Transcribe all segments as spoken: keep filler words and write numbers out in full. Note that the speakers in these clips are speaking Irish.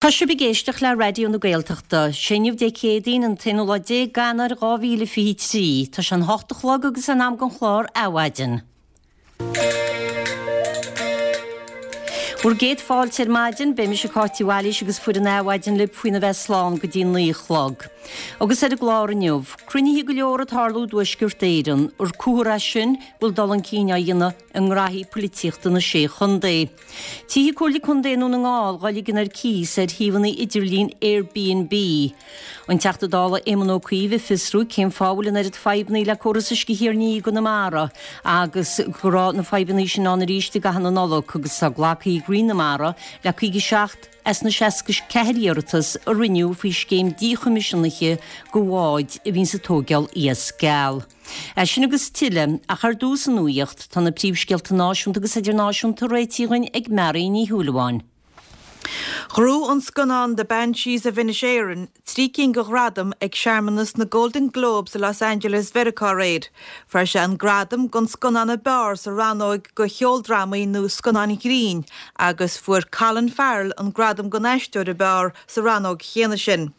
Tá sibh ag éisteacht le Raidió na Gaeltachta. Sé inniu Dé Céadaoin an t-aonú lá déag d'Eanáir dhá mhíle fiche trí. Tá sé an hocht a chlog agus in am don chlár Adhmhaidin. Bhur gcéad fáilte ar maidin, beidh mise Cáit Uí Bhailís agus foireann Adhmhaidin libh faoina bheith slán go dtí naoi a chlog. Agus ar an gclár inniu, cruinnithe go leor ag tarlú i dTuaisceart Éireann, ar comhartha é sin go bhfuil dul chun cinn á dhéanamh i ngraithí poilitíochta na Sé Chontae. Tithe Comhairle Contae i nDún na nGall dhá ligean ar cíos ar shuíomhanna idirlín Airbnb. An Teachta Dála Éamon Ó Cuív ag fiosrú cén fáth a bhfuil an oiread fadhbanna le córas uisce Thír an Fhia i gConamara agus go raibh na fadhbanna sin ann arís i gcaitheamh na Nollag agus tá glactha ag Roinn na Mara le caoga seacht as na seasca ceathair iarratas a rinneadh faoi scéim díchoimisiúnaithe do bháid a bhíonns ag tóigeáil iasc geal. É sin agus tuilleadh, ach ar dtús an nuaíocht, tá na príomhscéalta náisiúnta agus idirnáisiúnta réitithe againn ag Mary Ní Shúilleabháin. Ghnóthaigh an scannán The Banshees of Inisherin trí cinn de ghradaim ag searmanas na Golden Globes i Los Angeles Mheiriceá aréir. Fuair sé an gradam don scannán ab fhearr sa rannóg do cheoldrámaí nó scannáin ghrinn agus fuair Colin Farrell an gradam don aisteoir ab fhearr sa rannóg chéanna sin.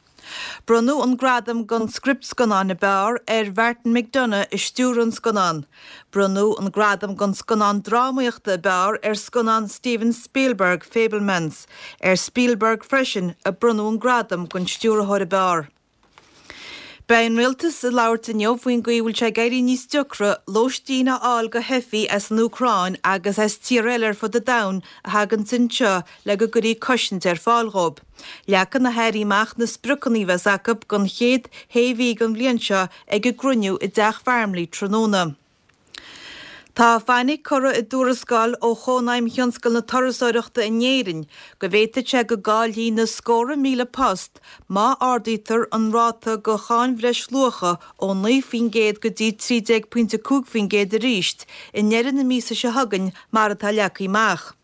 Bronnadh an gradam don script scannáin ab fhearr ar Mhartin McDonagh a stiúir an scannán. Bronnadh an gradam don scannán drámaíochta ab fhearr ar scannán Steven Spielberg, Fabelmans. Ar Spielberg freisin a bronnadh an gradam don stiúrthóir ab fhearr. Beidh an rialtas ag labhairt inniu faoin gcaoi a bhfuil sé ag éirí níos deacra lóistín a fháil do theifigh as an Úcráin agus as tíortha eile ar fud an domhain a thaganns anseo le go gcuirfí cosaint ar fáil dhóibh. Leagfaidh na hairí amach na spriocanna a bheas acu don chéad shé mhí den bhliain seo ag a gcruinniú i dTeach Farmleigh tráthnóna. Tá fainic curtha i dtuarascáil ó Chónaidhm Thionscal na Turasóireachta in Éirinn go bhféadfadh sé go gcaillfí na scórtha míle post má ardaítear an ráta de cháin bhreisluacha ó naoi faoin gcéad go dtí trí déag pointe cúig faoin gcéad arís i ndeireadh na míosa seo chugainn mar atá leagtha amach.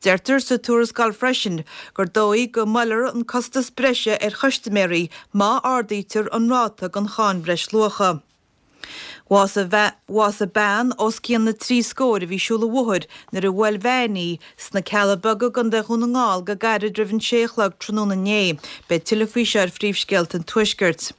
Deirtear sa tuarascáil freisin gur dóigh go mbuailfear an costas breise ar chustaiméirí má ardaítear an ráta den cháin bhreisluacha. Bhásaigh bean os cionn na trí scóir a bhí ag siúl an bhóthair nuair a bhuail veain í sna Cealla Beaga i gContae Dhún na nGall go gairid roimh an sé a chlog tráthnóna inné. Beidh tuilleadh faoi seo ar Phríomhscéalta an Tuaiscirt.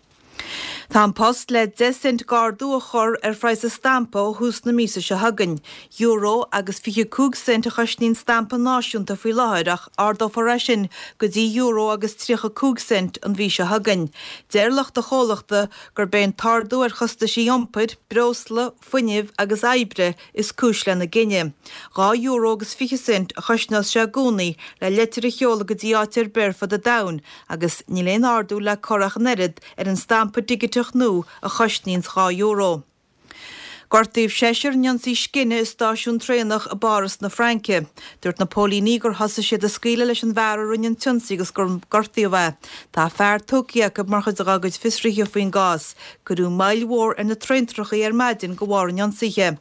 Tá An Post le deich cent d'ardú a chur ar phraghas an stampa ó thús na míosa seo chugainn. Euro agus fiche cúig cent a chosnaíonn stampa náisiúnta faoi láthair ach ardófar é sin go dtí euro agus tríocha cúig cent an mhí seo chugainn. Deir lucht an chomhlachta gurb é an t-ardú ar chostaisí iompair, breosla, fuinnimh agus oibre is cúis lena gcinneadh. Dhá euro agus fiche cent a chosnós sé i gcónaí le leitir a sheoladh go dtí áit ar bith ar fud an domhain agus níl aon ardú le cur ach an oiread ar an stampa digiteach nua a chosnaíonns dhá euro. Gortaíodh seisear in ionsaí scine i stáisiún traenach i bPáras na Fraince. Dúirt na póilíní gur thosaigh siad ag scaoileadh leis an bhfear a rinne an t-ionsaí agus gur gortaíodh é. Tá fear tógtha acu mar chuid dá gcuid fiosruithe faoin gcás. Cuireadh moill mhór ar na traentrachaí ar maidin de bharr an ionsaithe.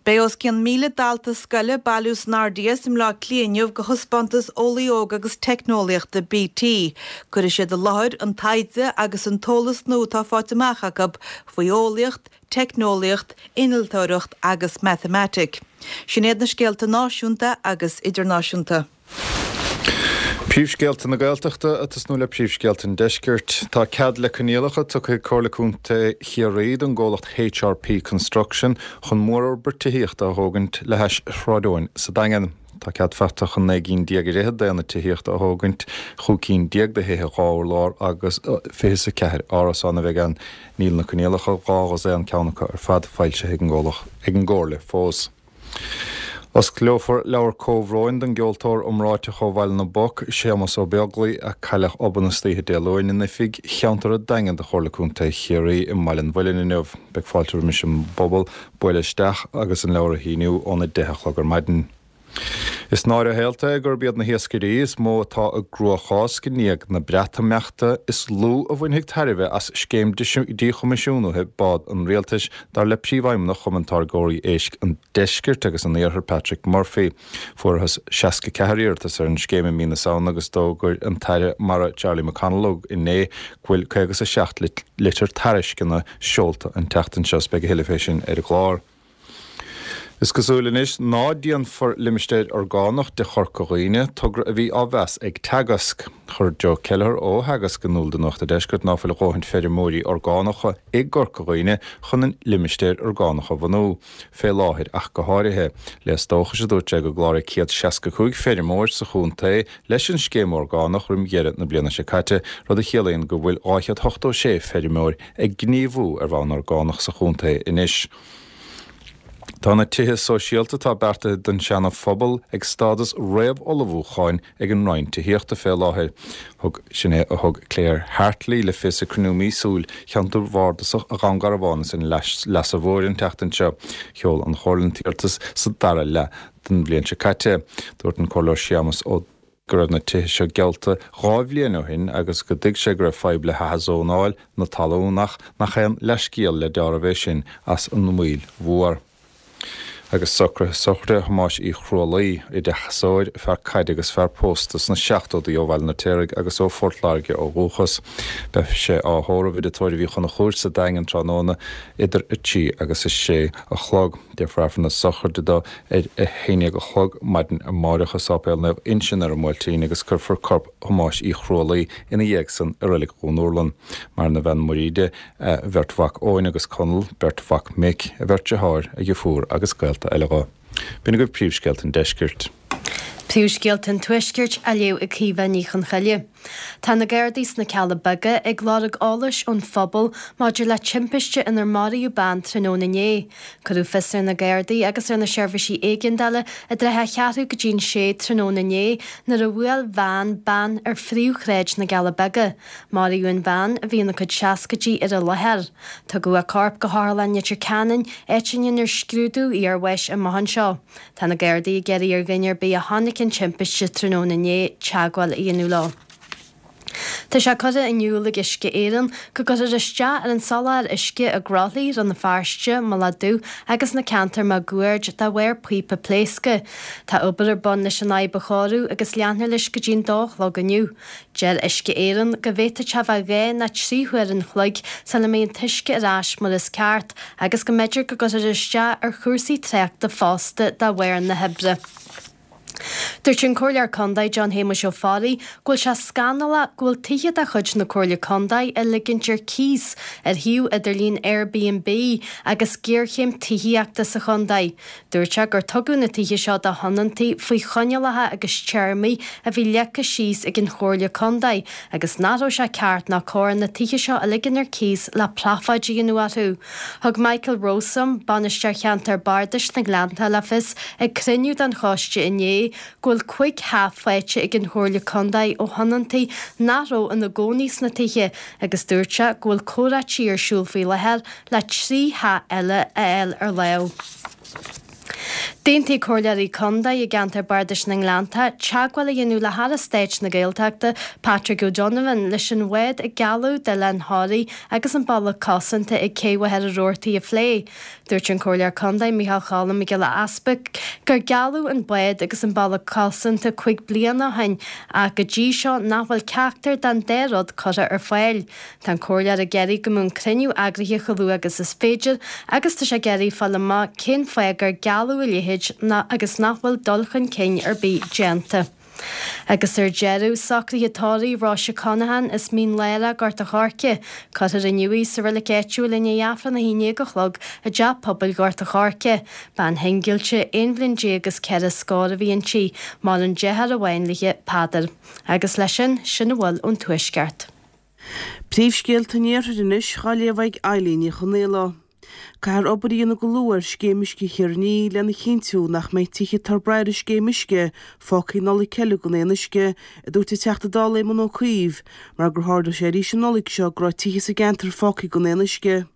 Beidh os cionn míle dalta scoile ag bailiú san RDS i mBleá Cliath inniu do thaispeántas Eolaí Óg agus Teicneolaíochta BT. Cuirfidh siad i láthair an taighde agus an t-eolas nua atá faighte amach acu faoi eolaíocht, teicneolaíocht, innealtóireacht agus matamaitic. Sin iad na scéalta náisiúnta agus idirnáisiúnta. Príomhscéalta na Gaeltachta ag tosnú le príomhscéalta an Deiscirt. Tá cead le coinníollacha tugtha ag Comhairle Contae Chiarraí don gcomhlacht HRP Construction chun mórfhorbairt tithíochta a thógaint le hais Shráid Eoin sa Daingean. Tá cead faighte chun naoi gcinn déag ar fhichead d'aonaid tithíochta a thógaint, chúig cinn déag de thithe dhá urlár agus fiche is a ceathair árasán a bheidh ann. Níl na coinníollacha, dhá dhosaen ceann acu ar fad, foilsithe ag an gComhairle fós. Osclófar leabhar comhbhróin don gceoltóir iomráiteach ó Bhaile na bPoc, Séamus Ó Beaglaoi, a cailleadh obann istoíche Dé Luain in oifig cheantar an Daingin de Chomhairle Contae Chiarraí i mBaile an Mhuilinn inniu. Beidh fáilte roimis an bpobal bualadh isteach agus an leabhar a shíniú óna deich a chlog ar maidin. Is náire shaolta é gurb iad na hiascairí is mó atá i gcruachás i ndiaidh na Breatimeachta is lú a bhainfidh tairbhe as scéim díchoimisiúnaithe bád an rialtais, dar le Príomhfheidhmeannach Chumann Táirgeoirí Éisc an Deiscirt agus an Iarthair, Patrick Murphy. Fuarthas seasca ceathair iarratas ar an scéim i mí na Samhna agus d'fhógair an tAire Mara Charlie McConalogue inné go bhfuil caoga is a seacht litir tairisceana seolta an tseachtain seo. Beidh a thuilleadh fé sin ar an gclár. Is cosúil anois ná déanfar limistéar orgánach de Chorca Dhuibhne, togra a bhí á mheas ag Teagasc. Chuir Joe Kelleher ó Theagasc in iúl do Nuacht an Deiscirt ná fuil a dhóthain feirmeoirí orgánacha i gCorca Dhuibhne chun an limistéar orgánach a bhunú, fé láthair ach go háirithe. Léas dóchais a dúirt sé go gcláraigh céad seasca cúig feirmeoir sa chontae leis an scéim orgánach roim dheireadh na bliana seo caite, rud a chiallaíonn go bhfuil dhá chéad ochtó sé feirmeoir ag gníomhú ar bhonn orgánach sa chontae anois. Tá na tithe sóisialta atá beartaithe don Seana-Phobal ag stádas réamhullmhúcháin ag an Roinn Tithíochta fé láthair. Thug sin é a thug Claire Hartley le fios ag cruinniú míosúil Cheantar Bhardasach Dhún Garbhán is an Leasa Mhóir an tseachtain seo. Sheol an Chomhairle an t-iarratas sa dara leath den bhliain seo caite. Dúirt an Comhairleoir Séamus Ó go raibh na tithe seo geallta dhá bhliain ó shin agus go dtuig sé go raibh fadhb le hathzónáil na talún ach nach aon leithscéal le deáramh é sin as an moill mhór. Agus socruithe sochraide Thomáis Uí Chrualaoi, oideachasóir, fear caide agus fear pósta sna seachtóidí ó Bhaile an Fheirtéaraigh agus ó Phort Láirge ó dhúchas. Beidh sé á thórramh i dTigh Tórraimh Uí Chonchúir sa Daingean tráthnóna idir a trí agus a sé a chlog. Déanfar Aifreann na sochraide dó ar a haon déag a chlog maidin amárach i Sáipéal Naomh Uinseann ar an mBuailtín agus cuirfear corp Thomáis Uí Chrualaoi ina dhiaidh san i Reilig Dhún Úrlann. Maireann a bhean Muiríde, a bheirt mhac Eoin agus Conall, beirt mhac mic, a bheirt deartháir, a dheirfiúr agus gaolta eile dho. B'in agaibh príomhscéalta an deiscirt. Príomhscéalta an Tuaiscirt á léamh ag Caoimhe Ní Chonchoille. Tá na Gardaí sna Cealla Beaga ag lorg eolais ón phobal maidir le timpiste inar maraíodh bean tráthnóna inné. Cuireadh fios ar na Gardaí agus ar na seirbhísí éigeandála i dtrátha a cheathrú go dtí'n sé tráthnóna inné nuair a bhuail veain bean ar phríomhshráid na gCealla Beaga. Maraíodh an bhean, a bhí ina cuid seascaidí, ar an láthair. Tugadh a corp go hOtharlann Leitir Ceanainn, áit a ndéanfar scrúdú iarbháis amach anseo. Tá na Gardaí ag iarraidh ar dhuine ar bith a chonaic an timpiste tráthnóna inné teagmháil a dhéanamh leo. Tá sé curtha in iúl ag Uisce Éireann go gcuirfear isteach ar an soláthar uisce i gCroithlí, Rann na Feirste, Mullach Dubh agus na ceantair máguaird de bharr píopa pléasctha. Tá obair ar bun leis an fhadhb a chóiriú agus leanfar leis go dtí'n dó a chlog inniu. Deir Uisce Éireann go bhféadfadh sé bheith dhá nó trí huair an chloig sula mbeidh an t-uisce ar ais mar is ceart agus go mb'fhéidir go gcuirfear isteach ar chúrsaí tráchta fosta de bharr na hoibre. Dúirt an Comhairleoir Contae John Shéamuis Ó Fearraigh go bhfuil sé scannalach go bhfuil tithe de chuid na Comhairle Contae á ligint ar cíos ar shuíomh idirlín Airbnb agus géarchéim tithíochta sa chontae. Dúirt sé gur tugadh na tithe seo do thionóntaí faoi choinníollacha agus téarmaí a bhí leagtha síos ag an Chomhairle Contae agus nach raibh sé ceart ná cóir na tithe seo a ligean ar cíos le profáid a dhéanamh orthu. Thug Michael Rowsome, Bainisteoir Cheantar Bardais na nGleanntach le fios ag cruinniú den choiste inné go bhfuil cúig theach faighte ag an Chomhairle Contae ó thionóntaí nach raibh ina gcónaí sna tithe agus dúirt sé go bhfuil comhráití ar siúl faoi láthair le trí theach eile a fháil ar láimh. D'aontaigh Comhairleoirí Contae i gceantar Bardais na nGleanntach teagmháil a dhéanamh le hAire Stáit na Gaeltachta, Patrick O'Donovan, leis an bhád a gealladh d'Oileán Thoraí agus an bealach cosanta ag Cé Mhachaire Rabhartaigh a phlé. Dúirt an Comhairleoir Contae Micheál Choilm Mac Giolla Easpaig gur gealladh an bád agus an bealach cosanta cúig bliana ó shin ach go dtí seo nach bhfuil ceachtar den dá rud curtha ar fáil. Tá an Comhairleoir ag iarraidh go mbeadh an cruinniú eagraithe chomh luath agus is féidir agus tá sé ag iarraidh fáil amach cén fáth gur gealladh a leithéid agus nach bhfuil dul chun cinn ar bith déanta. Agus ar deireadh, socruithe tórraimh Róise Conaghan as Mín Lárach, Gort a' Choirce. Cuirfear inniu í sa reilig áitiúil i ndiaidh Aifreann a haon déag a chlog i dTeach Pobail Ghort a' Choirce. Bean shingilte, aon bhliain déag is ceithre scór a bhí inti. Maireann deartháir amháin léi, Peadar. Agus leis sin, sin a bhfuil ón Tuaisceart. Príomhscéalta an Iarthair anois dhá léamh ag Eilín Ní Chonaola. Caithfear obair a dhéanamh go luath ar Scéim Uisce Chiarraí Thiar lena chinntiú nach mbeidh tithe atá ag brath ar an scéim uisce fágtha an Nollaig eile gan aon uisce, a dúirt an Teachta Dála Éamon Ó Cuív, mar gur tharla sé arís an Nollaig seo go raibh tithe sa gceantar fágtha gan aon uisce.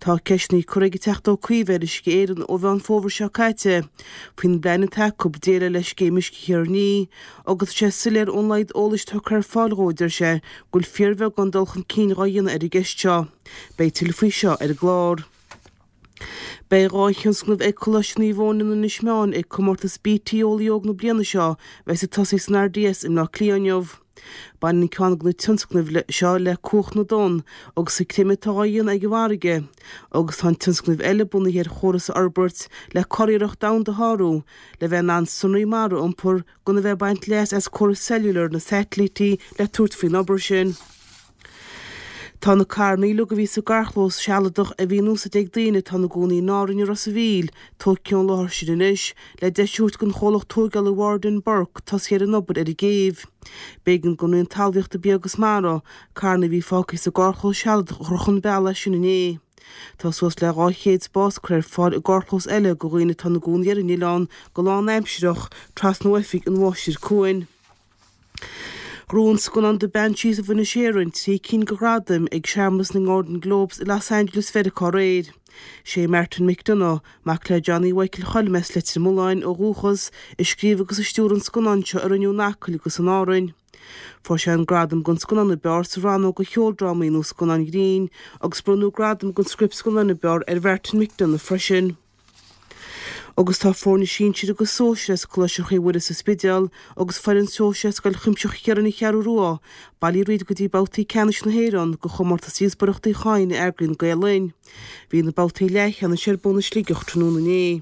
Tá ceisteanna curtha ag an Teachta Ó Cuív ar Uisce Éireann ó Mheán Fómhair seo caite faoin bplean atá acu déileáil le Scéim Uisce Chiarraí Thiar agus tá sé soiléir ón laghad eolais tugtha ar fáil dhó, a deir sé, go bhfuil fíorbheagán dul chun cinn dhá dhéanamh ar an gceist seo. Beidh tuilleadh faoi seo ar an gclár. Beidh dhá thionscnamh ag Coláiste Naomh Eoin in Inis Meáin ag comórtas BT Eolaí Óg na bliana seo a bheas ag tosaí san RDS i mBleá Cliath inniu. Baineann ceann de na tionscnaimh seo le cumhacht na dtonn agus an creimeadh atá á dhéanamh ag an bhfarraige, agus tá an tionscnamh eile bunaithe ar chóras a fhorbairt le curiarracht domhanda a shárú le bheith in ann sonraí mara a iompar gan a bheith ag baint leas as córas cellular na satailítí le tabhairt faoin obair sin. Tá na carranna uilig a bhí sa gcarrchlós sealadach a bhí in úsáid ag daoine atá ina gcónaí in Árainn i Ros a' Mhíl tógtha ón láthair sin anois le deis a thabhairt don chomhlacht tógála Ward and Burke tosaí ar an obair ar an gcéibh. B'éigean don Roinn Talmhaíochta Bia agus Mara carranna a bhí fágtha sa gcarrchlós sealadach a chur chun bealaigh as sin inné. Tá suas le dhá chéad spás curtha ar fáil i gcarrchlós eile do dhaoine atá ina gcónaí ar an oileán go lánaimsearach trasna ó oifig an Mháistir Cuain. Ghnóthaigh an scannán The Banshees of Inisherin trí cinn de ghradaim ag searmanas na nGolden Globes i Los Angeles Mheiriceá aréir. Sé Martin McDonagh, mac le Johnny Mhichael Choilm as Leitir Mealláin ó dhúchas, a scríobh agus a stiúir an scannán seo a rinneadh in Acaill agus in Árainn. Fuair sé an gradam don scannán ab fhearr sa rannóg do cheoldrámaí nó scannáin ghrinn agus bronnadh gradam don script scannáin ab fhearr ar Mhartin McDonagh freisin. Agus tá foirne sinsir agus sóisir as Coláiste Chroí Mhuire sa Spidéal agus foireann sóisir as Scoil Chuimsitheach Chiaráin an Cheathrú Rua bailithe thríd go dtí babhtaí ceannais na hÉireann de chomórtas díospóireachta Uí Chadhain a eagraíonn Gael Linn. Bhí na babhtaí leathcheannais ar bun i Sligeach tráthnóna inné.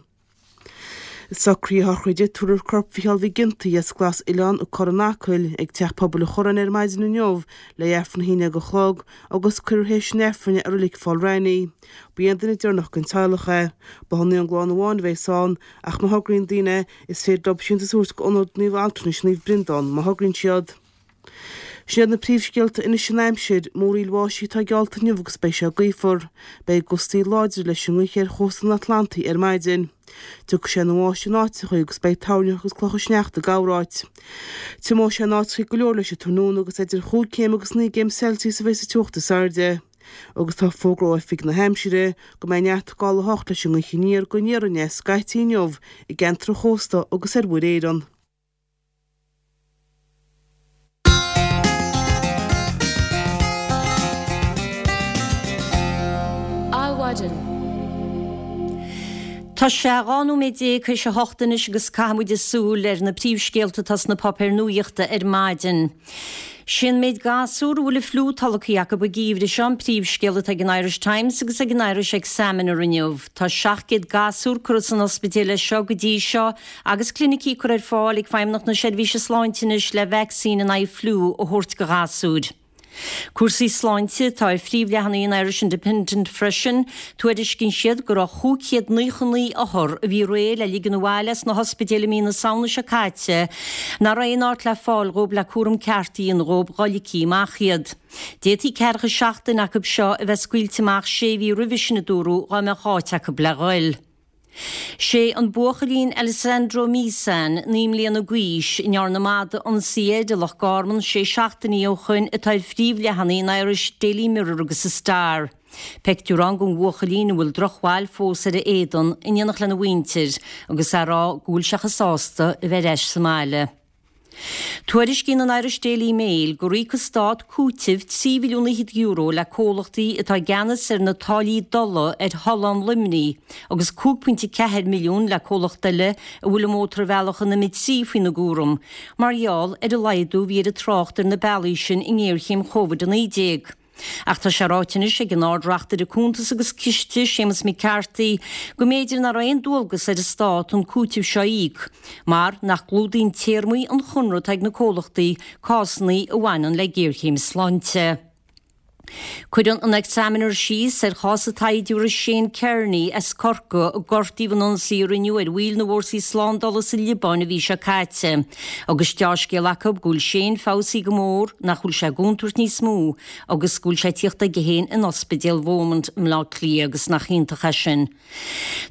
Socruithe sochraide tabharfar corp Mhicheál Mhic Ginty as Glas Oileán an Corran Acaill ag Teach Pobail an Chorráin ar maidin inniu le hAifreann a haon déag a chlog agus cuirfear théis an Aifrinn é i Reilig Pholl Raithní. Ba é an duine deireanach den teaghlach é. Ba an ghlán amháin a bheas ann ach má thograíonn daoine is féidir leo síntiús a thabhairt go Ionad Naomh Altranais Naomh Breandán má thograíonn siad. Sin iad na príomhscéalta anois an aimsir, múraíl bháistí atá geallta inniu agus beidh sé gaofar. Beidh gustaí láidre leis an ngaoth ar chósta an Atlantaigh ar maidin. Tiocfaidh sé ina bháisteach in áiteacha agus beidh toirneach agus clocha sneachta corráit. Tiomóidh sé in áiteacha go leor leis an tráthnóna agus idir chúig chéim agus naoi gcéim Celsius a bheidh sa teocht is airde. Agus tá fógra ó Oifig na hAimsire go mbeidh neart gála a hocht leis an ngaoth aniar go aniar aneas scaití inniu i gceantar an chósta agus ar Mhuir Éireann. Adhmhaidin. Tá sé dhá nóiméad déag théis a hocht anois agus caithfidh muid súil ar na príomhscéalta atá sna páipéir nuachta ar maidin. Sé'n méid gasúr a bhfuil an fliú tolgtha acu an geimhreadh seo an príomhscéal atá ag an Irish Times agus ag an Irish Examiner inniu. Tá seacht gcéad gasúr curtha san ospidéal leis seo go dtí seo agus clinicí curtha ar fáil ag Feidhmeannacht na Seirbhíse Sláinte anois le vacsaín in aghaidh fliú a thabhairt do ghasúir. Cúrsaí sláinte atá ar phríomhleathanaigh an Irish Independent freisin. Tuairiscíonn siad go raibh chúig chéad naocha naoi othar a bhí réidh le ligean abhaile as na hospidéil i mí na Samhna seo caite nach raibh aon áit le fáil dhóibh le cúram ceart a dhéanamh dhóibh dhá ligfí amach iad. D'fhéadfaí ceathracha seacht duine acu seo a bheith scaoilte amach sé mhí roimhe sin a dúradh dhá mbeadh áit acu le ghoil. Sé an buachaillín Alessandro Misan, naoi mbliana d'aois, a ndearna madadh ionsaí air i Loch Garman sé seachtainí ó shoin atá ar phríomhleathanaigh an Irish Daily Mirror agus an Star. Peictiúr ann den bhuachaillín a bhfuil drochbhail fós ar a éadan in éineacht lena mhuintir agus é ag rá go bhfuil sé chomh sásta a bheith ar ais sa mbaile. Tuairiscíonn an Irish Daily Mail gur íoc an Stát cúiteamh trí mhilliún fhichead euro le comhlachtaí atá i gceannas ar na táillí dola ar Thollán Luimnigh agus cúig pointe ceathair milliún le comhlacht eile a bhfuil an mótarbhealach an M trí faoina gcúram mar gheall ar an laghdú a bhí ar an trácht ar na bealaí sin i ngéarchéim Covid a naoi déag. Ach tá sé ráite anois ag an Ard-Reachtaire Cuntas agus Ciste, Séamus McCarthy, go mb'fhéidir nach raibh aon dualgas ar an Stát an cúiteamh seo a íoc, mar nach gclúdaíonn téarmaí an chonradh atá ag na comhlachtaí cásanna a bhaineann le géarchéim sláinte. Cuireann an Examiner síos ar chás an tsaighdiúra Shane Kearney as Corcaigh a gortaíodh in ionsaí a rinneadh ar bhaill na bhfórsaí slándála sa Liobáin an mhí seo caite. Agus deá-scéal acu go bhfuil Shane feabhsaithe go mór, nach bhfuil sé i gcontúirt níos mó agus go bhfuil sé ag tíocht chuige féin in Ospidéal Beaumont i mBleá Cliath agus nach iontach é sin.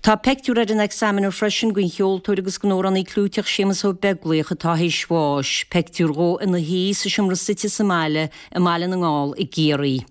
Tá peictiúr ar an Examiner freisin den cheoltóir agus den amhránaí clúiteach Séamus Ó Beaglaoich atá théis bháis, peictiúr dhó ina shuí sa seomra suite sa mbaile i mBaile na nGall i gCiarraí.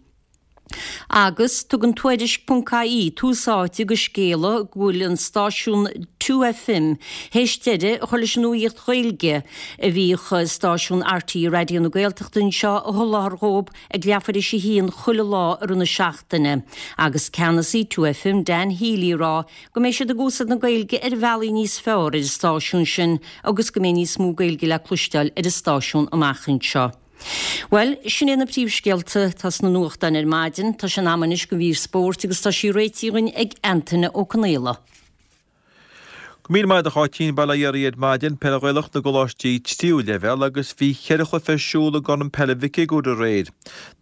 Agus tugann Tuairisc ponc ie tús áite do scéala go bhfuil an stáisiún Two FM théis deireadh a chur leis an nuaíocht Ghaeilge a bhíodh stáisiún RTÉ Raidió na Gaeltachta anseo a sholáthar dhóibh ag leathuair théis a haon chuile lá i rith na seachtaine agus ceannasaí Two FM Dan Healy ag rá go mbeidh siad ag úsáid na Gaeilge ar bhealaí níos fearr ar an stáisiún sin agus go mbeidh níos mó Gaeilge le cloisteáil ar an stáisiún amach anseo. Bhuel, sin iad na príomhscéalta atá sna nuachtáin ar maidin. Tá sé in am anois don mhír spóirt agus tá sí réitithe againn ag Antaine Ó Conaola. Go míle maith agat a Cháitín, Bail ó Dhia oraibh ar maidin, Peil Ghaelach na gColáistí Tríú Leibhéal agus bhí cheithre chluiche ar siúl i gCorn Peile Mhic Uidhir aréir.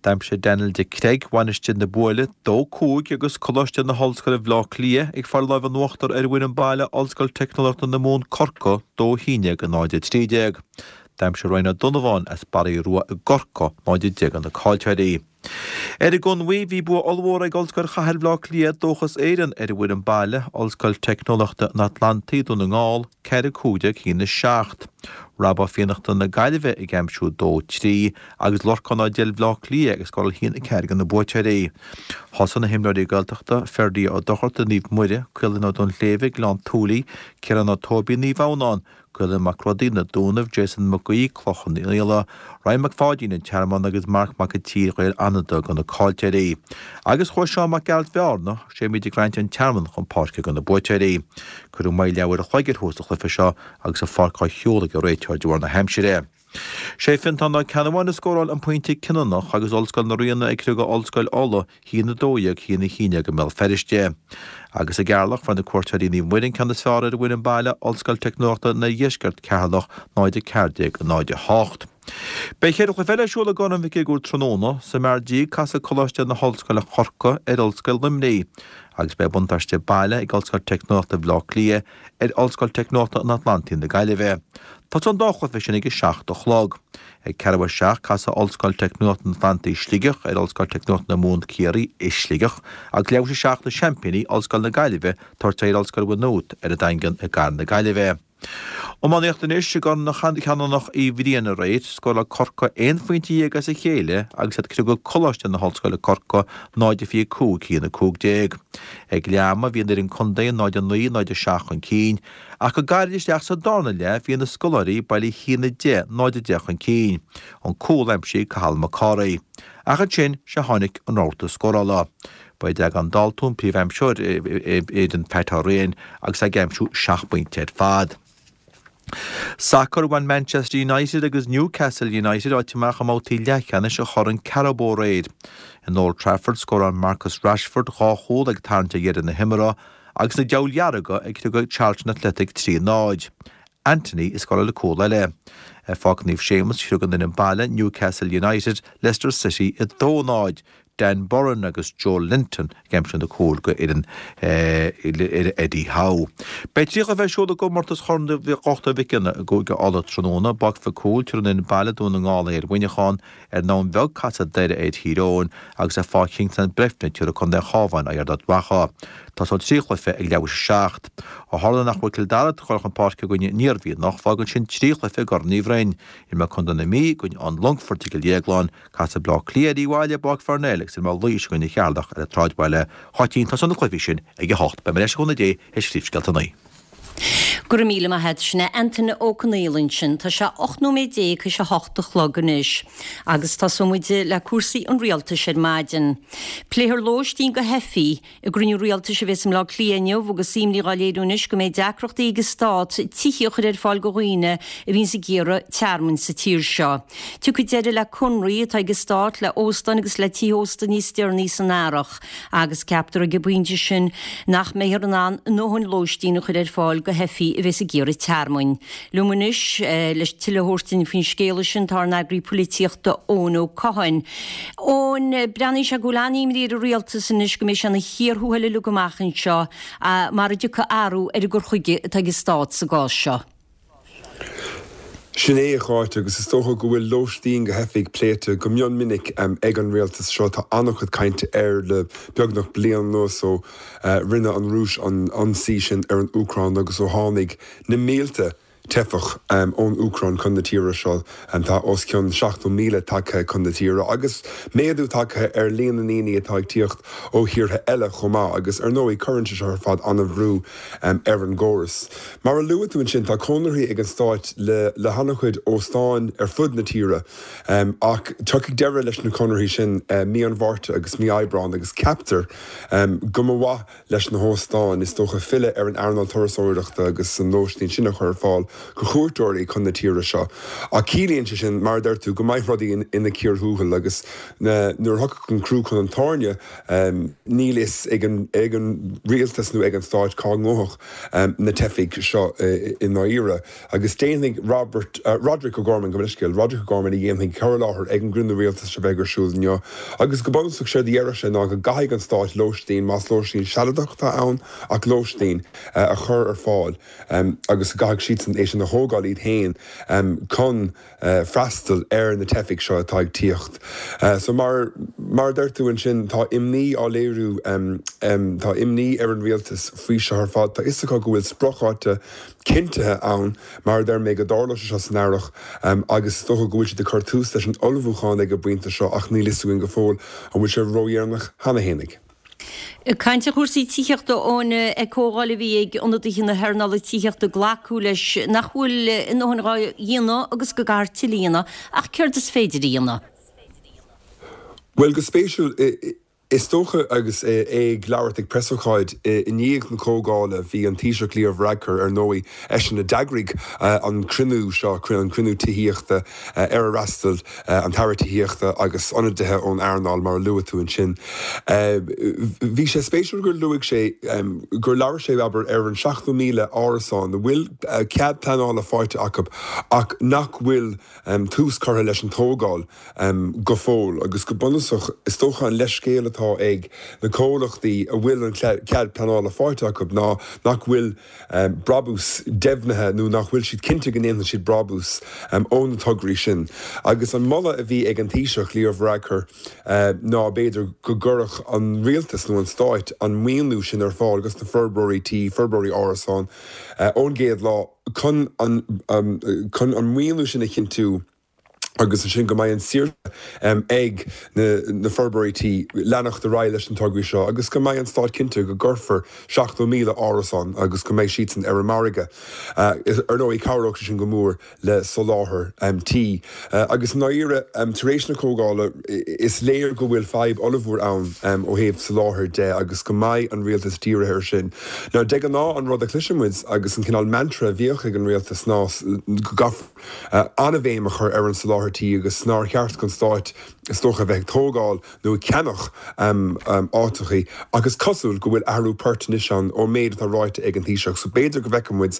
D'aimsigh Daniel de Creag, Mhainistir na Buaile, dó cúig agus Coláiste na hOllscoile Bhaile Átha Cliath ag fáil lámh in uachtar ar an bhfoireann baile Ollscoil Teicneolaíochta na Mumhan Corcaigh, dó a haon déag, náid a trí déag. D'aimsigh Ryan Ó Donnabháin as Barraí Rua i gCorcaigh náid a deich do na caillteoirí. Ar an gConmhaigh, bhí bua ollmhór ag Ollscoil Chathair Bhaile Átha Cliath, Dóchas Éireann, ar an bhfoireann baile, Ollscoil Teicneolaíochta an Atlantaigh, Dún na nGall, ceathair a cúig déag, a haon a seacht. Rob Ó Fiannachta na Gaillimhe ag aimsiú dó trí agus Lorcán Ó Deilbh Bhaile Átha Cliath ag scóráil a haon a ceathair do na buaiteoirí. Thosaigh na himreoirí Gaeltachta, Ferdia Ó Dochartaigh, Naomh Muire, Caolan Ó Duinnshléibhe, Gleann tSúilí, Ciarán Ó Tóibín, Naomh Adhamhnáin, Caolan Mac Rodaí, Na Dúnaibh, Jason Mac Aoidh, Cloich Cheann Fhaola, Ryan Mac Pháidín, An Tearmann agus Marc Mac an tSaoi, Gaeil Fhánada do na caillteoirí. Agus chuaigh Seán Mac Gearailt Bhearna, Séimí de Graint, An Tearmann chun páirce do na buaiteoirí. Cuireadh moill leathuair a chloig ar thús an chluiche seo agus an pháirc á shiúl ag an réiteoir de bharr na haimsire. Sé Fiontán Ó Ceannabháin a scóráil an pointe cinniúnach agus Ollscoil na Ríona ag criogadh Ollscoil Uladh a haon a dó dhéag, a haon a haon déag i mBéal Feirste. Agus i gCeatharlach, fuair na cuairteoirí Naomh Muire an ceann is fearr ar an bhfoireann baile, Ollscoil Teicneolaíochta an Oirdheiscirt, Ceatharlach, náid a ceathair déag, náid a hocht. Beidh ceithre chluiche eile ar siúl i gCorn Mhic Uidhir tráthnóna. Sa Mheirgí, casfaidh Coláiste na hOllscoile Corcaigh ar Ollscoil Luimnigh agus beidh buntáiste baile ag Ollscoil Teicneolaíochta Bhaile Átha Cliath ar Ollscoil Teicneolaíochta an Atlantaigh na Gaillimhe. Tosóidh an dá chluiche sin ag a seacht a chlog. Ag ceathrú a seacht, casfaidh Ollscoil Teicneolaíochta an Atlantaigh Sligeach ar Ollscoil Teicneolaíochta na Mumhan Ciarraí i Sligeach agus leathuair tar éis a seacht na seaimpíní, Ollscoil na Gaillimhe, tabhairt aghaidh ar Ollscoil Mhaigh Nuad ar an Daingean i gcathair na Gaillimhe. Iománaíocht anois i gCorn Cheanannach Uí Bhriain aréir, scóráil Corcaigh aon phointe dhéag as a chéile agus iad ag criogadh Coláiste na hOllscoile Corcaigh náid a fiche cúig a haon a cúig déag. Ag leath ama bhí an fhoireann contae náid a naoi, náid a seacht chun cinn, ach go gairid isteach sa darna leath bhí na scoláirí bailí a haon a deich, náid a deich chun cinn. An cúl aimsithe ag Cathal Mac Cárthaigh. Ach ansin sea tháinig an rabharta scórála. Ba é Deaglán Daltún príomhaimseoir fhoireann Pat Horan agus é ag aimsiú seacht bpointe ar fad. Sacar, Bhain Manchester United agus Newcastle United áit amach i mbabhtaí leathcheannais an Choirn Carabao aréir. In Old Trafford, scóráil Marcus Rashford dhá chúl ag tarraingt ar dheireadh na himeartha agus na Diabhail Dhearga ag criogadh Charlton Athletic trí náid. Antony a scóráil an cúl eile. Ar Pháirc Naomh Séamus, chriog an fhoireann baile, Newcastle United, Leicester City a dó náid. Dan Burn agus Joelinton ag aimsiú na cúil go fhoireann Eddie Howe. Beidh trí chluiche ar siúl i gcomórtas Chorn Dhochtúir Mhic Cionnaith i gCúige Uladh tráthnóna, i bPáirc Mhic Cumhaill, tabharfaidh an fhoireann baile Dún na nGall aghaidh ar Mhuineachán, ar an nDamhain Bheag casfaidh Doire ar Thír Eoghain agus ar Pháirc Kingsland Breifne tabharfaidh Contae an Chabháin aghaidh ar Ard Mhacha. Tosóidh an trí chluiche ag leathuair tar éis a seacht. Ó tharla nach bhfuil Cill Dara ag dul chun páirce i gcoinne an Iarmhí anocht, fágann sin trí chluiche i gCorn Uí Bhroin. Imreoidh Contae na Mí i gcoinne an Longfoirt i gCill Dhéagláin, casfaidh Bleá Cliath ar Uíbh Fhailí i bPáirc Pharnell agus imreoidh Laois i gcoinne Cheatharlach ar an tSráidbhaile. Cháitín, Tosóidh na cluichí sin ag a hocht. Beidh mé ar ais le cúnamh Dé théis phríomhscéalta a naoi. Go raibh míle maith agat. Sin é Antaine Ó Conaola ansin. Tá sé ocht nóiméad déag théis a hocht a chlog anois. Agus tosóidh muid le cúrsaí an rialtais ar maidin. Pléifear lóistín do theifigh i gcruinniú rialtais a bheas i mBleá Cliath inniu agus imní dhá léiriú anois go mbeidh deacrachtaí ag an stát tithe a chur ar fáil do dhaoine a bhíonns ag iarraidh tearmainn sa tír seo. Tiocfaidh deireadh le conraí atá ag an stát le óstáin agus le tithe ósta níos deireanaí san earrach agus ceaptar ag an bpointe sin nach mbeifear in ann a ndóthain lóistín a chur ar fáil do theifigh a bheas ag iarraidh tearmainn. Liom anois le tuilleadh a thabhairt duinn faoin scéala sin tá ár n-eagraí polaitíochta Eoin Ó Catháin. Eoin, breathnaíonn sé go bhfuil an-imní ar an rialtas anois go mbeidh sé ina chíor thuathail uilig amach anseo mara dtiocfaidh athrú ar an gcur chuige atá ag an stát sa gcás seo. Sin é, a Cháit, agus is dócha go bhfuil lóistín do theifigh pléite go mion minic ag an rialtas seo. Tá an-chuid cainte air le beagnach bliain anuas ó rinne an Rúis an ionsaí sin ar an Úcráin agus ó tháinig na mílte teifeach ón Úcráin chun na tíre seo. Tá os cionn seachtó míle tagtha chun na tíre agus méadú tagtha ar líon na ndaoine atá ag tíocht ó thíortha eile chomh maith agus ar ndóigh cuireann sé seo ar fad an-bhrú ar an gcóras. Mar a luaigh tú ansin, tá conarthaí ag an Stát le le han-chuid óstáin ar fud na tíre ach tiocfaidh deireadh leis na conarthaí sin mí an Mhárta agus mí Aibreáin agus ceaptar go mba mhaith leis na hóstáin, is dócha, filleadh ar an earnáil turasóireachta agus an lóistín sin a chur ar fáil. go chuairteoirí chun na tíre seo. Ach ciallaíonn sé sin, mar a deir tú, go mbeidh rudaí ina cíor thuathail agus nuair a thiocfadh an crú chun an tairne, níl fhios ag an rialtas nó ag an stát cá ngabhfadh na teifigh seo i ndáiríre. Agus déanfaidh Robert, Roderic O'Gorman, gabh mo leithscéal, Roderic O'Gorman a dhéanfaidh cur i láthair ag an gcruinniú rialtais a bheidh ar siúl inniu agus go bunúsach séard a déarfadh sé ná go gcaithfidh an stát lóistín, más lóistín sealadach atá ann ach lóistín, a chur ar fáil agus go gcaithfidh siadsan é sin a thógáil iad féin chun freastal ar na teifigh seo atá ag tíocht. So mar mar a deir tú ansin, tá imní á léiriú, tá imní ar an rialtas faoi seo ar fad. Tá fhios acu go bhfuil spriocdháta cinntithe ann, mar a deir mé, go dtarlóidh sé seo san earrach agus is dócha go bhfuil siad ag cur tús leis an ullmhúchán ag an bpointe seo ach níl fhios againn go fóill an bhfuil sé ródheireanach cheana fhéinig. Ag caint ar chúrsaí tithíochta Eoin, ag comhdháil a bhí ag ionadaithe na hearnála tithíochta glacadh leis nach bhfuil a ndóthain dhá dhéanamh agus go gcaithfear tuilleadh a dhéanamh, ach céard is féidir a dhéanamh? Bhuel, go spéisiúil, is dócha agus é ag labhairt ag preasócáid i ndiaidh na comhdhála, bhí an Taoiseach Leo Varadkar, ar ndóigh, eisean a d'eagraigh an cruinniú seo, an cruinniú tithíochta ar ar fhreastail an tAire Tithíochta agus ionadaithe ón earnáil, mar a luaigh tú ansin. Bhí sé spéisiúil gur luaigh sé gur labhair sé, abair, ar an seachtó míle árasán a bhfuil cead pleanála faighte acu ach nach bhfuil tús curtha leis an tógáil go fóill agus go bunúsach is dócha an leithscéal atá ag na comhlachtaí a bhfuil an cead pleanála faighte acu ná nach bhfuil brabús deimhnithe nó nach bhfuil siad cinnte go ndéanfaidh siad brabús ó na tograí sin. Agus an moladh a bhí ag an Taoiseach, Leo Varadkar, ná b'fhéidir go gcuirfeadh an rialtas nó an stáit an maoiniú sin ar fáil dos na forbróirí tí, forbróirí árasán, ón gcéad lá chun an chun an maoiniú sin a chinntiú. agus ansin go mbeidh an saoirse ag na forbróirí tí leanacht ar aghaidh leis na tograí seo agus go mbeidh an stát cinnte go gcuirfear seachtó míle árasán agus go mbeidh siadsan ar an margadh. Ar ndóigh, cabhródh sé sin go mór le soláthar tí. Agus i ndáiríre, tar éis na comhdhála, is léir go bhfuil fadhb ollmhór ann ó thaobh soláthair de agus go mbeidh an rialtas dírithe air sin. Now, de ghnáth, an rud a chloiseann muid agus an cineál mantra a bhíodh ag an rialtas ná go gcaithfear an-bhéim a chur ar an soláthar tí agus nár cheart don Stát is dócha a bheith ag tógáil nó ag ceannach áiteachaí ach is cosúil go bhfuil athrú poirt anois ann ón méid atá ráite ag an Taoiseach so b'fhéidir go bhfeicfidh muid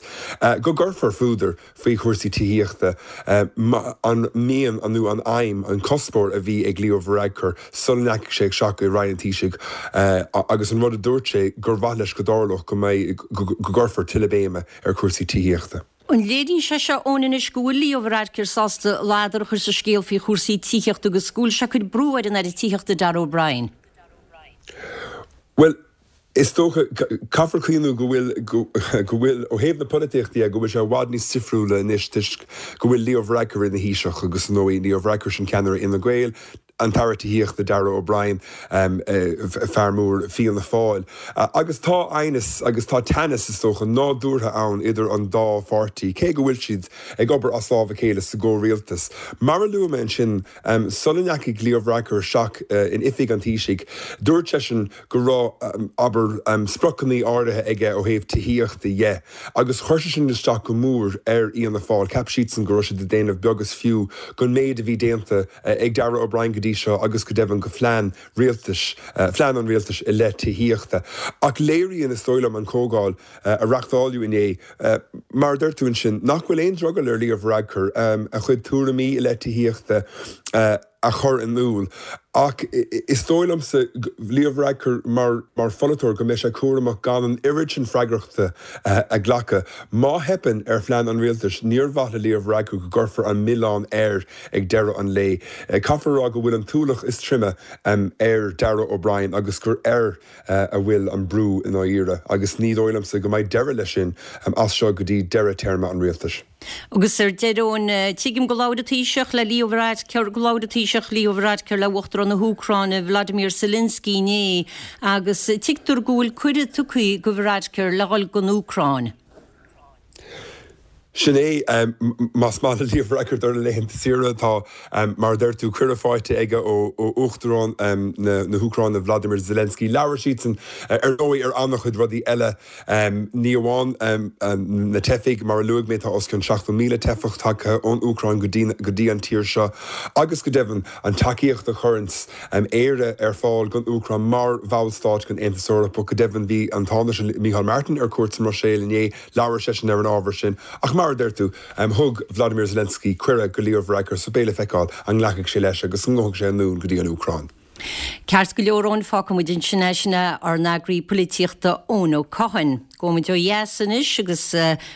go gcuirfear fuadar faoi chúrsaí tithíochta an mian nó an aidhm, an cuspóir a bhí ag Leo Varadkar sula ndeachaigh sé isteach i Roinn an Taoisigh agus an rud a dúirt sé gur mhaith leis go dtarlódh go mbeidh go gcuirfear tuilleadh béime ar chúrsaí tithíochta. An léiríonn sé seo, Eoin, anois go bhfuil Leo Varadkar sásta ladar a chur sa scéal faoi chúrsaí tithíochta agus go bhfuil sé ag cur brú ar an Aire Tithíochta Darragh O'Brien? Bhuel, is dócha, caithfear cuimhniú go bhfuil, go bhfuil, ó thaobh na polaitíochta dhe, go bhfuil sé i bhfad níos difriúla anois toisc go bhfuil Leo Varadkar ina Thaoiseach agus, ar ndóigh, Leo Varadkar sin ceannaire Fhine Gael, an tAire Tithíochta Darragh O'Brien, fear mór Fianna Fáil. Agus tá aighneas agus tá teannas, is dócha, nádúrtha ann idir an dá pháirtí, cé go bhfuil siad ag obair as lámh a chéile sa gcomhrialtas. Mar a luaigh mé ansin, sula ndeachaigh Leo Varadkar isteach in oifig an Taoisigh, dúirt seisean go raibh, abair, spriocanna áirithe aige ó thaobh tithíochta dhe, agus chuir sé sin isteach go mór ar Fhianna Fáil. Cheap siadsan go raibh siad ag déanamh beag is fiú den méid a bhí déanta ag Darragh O'Brien go dtí seo agus go deimhin go phlean rialtais, phlean an rialtais i leith tithíochta. Ach léiríonn, is dóigh liom, an chomhdháil a reáchtáladh inné, mar a dúirt tú ansin, nach bhfuil aon drogall ar Leo Varadkar a chuid tuairimí i leith tithíochta a chur in iúl. Ach is dóigh liomsa, Leo Varadkar mar pholaiteoir, go mbeidh sé cúramach gan an oiread sin freagrachta a ghlacadh. Má theipeann ar phlean an rialtais, níor mhaith le Leo Varadkar go gcuirfear an milleán air ag deireadh an lae. Caithfear a rá go bhfuil an t-ualach is troime ar Darragh O'Brien agus gur air a bhfuil an brú i ndáiríre agus ní dóigh liomsa go mbeidh deireadh leis sin as seo go dtí deireadh téarma an rialtais. Agus ar deireadh, Eoin, tuigim gur labhair an Taoiseach le Leo Varadkar, gur labhair an Taoiseach Leo Varadkar le Uachtarán na hÚcráine, Vladimir Zelensky inné agus tuigtear go bhfuil cuireadh tugtha go Varadkar le dhul don Úcráin. Sin é, más maith le Leo Varadkar dul ar laethanta saoire, tá, mar a deir tú, cuireadh faighte aige ó Uachtarán na hÚcráine Vladimir Zelensky. Labhair siadsan, ar ndóigh, ar an-chuid rudaí eile, ní amháin na teifigh, mar a luaigh mé, tá os cionn seachtó míle teifeach tagtha ón Úcráin go dtí an tír seo agus go deimhin an tacaíocht a chuireanns Éire ar fáil don Úcráin mar bhallstát den Aontas Eorpach. Go deimhin bhí an Tánaiste Micheál Martin ar cuairt sa mBruiséil inné, labhair seisean ar an ábhar sin. Ach mar a deir tú, thug Vladimir Zelensky cuireadh go Leo Varadkar so beidh le feiceáil an nglacfaidh sé leis agus an ngabhfaidh sé anonn go dtí an Úcráin. Ceart go leor Eoin, fágfaidh muid ansin é, sin é ár n-eagraí polaitíochta Eoin Ó Cadhain. Gabhfaidh muid ó dheas anois agus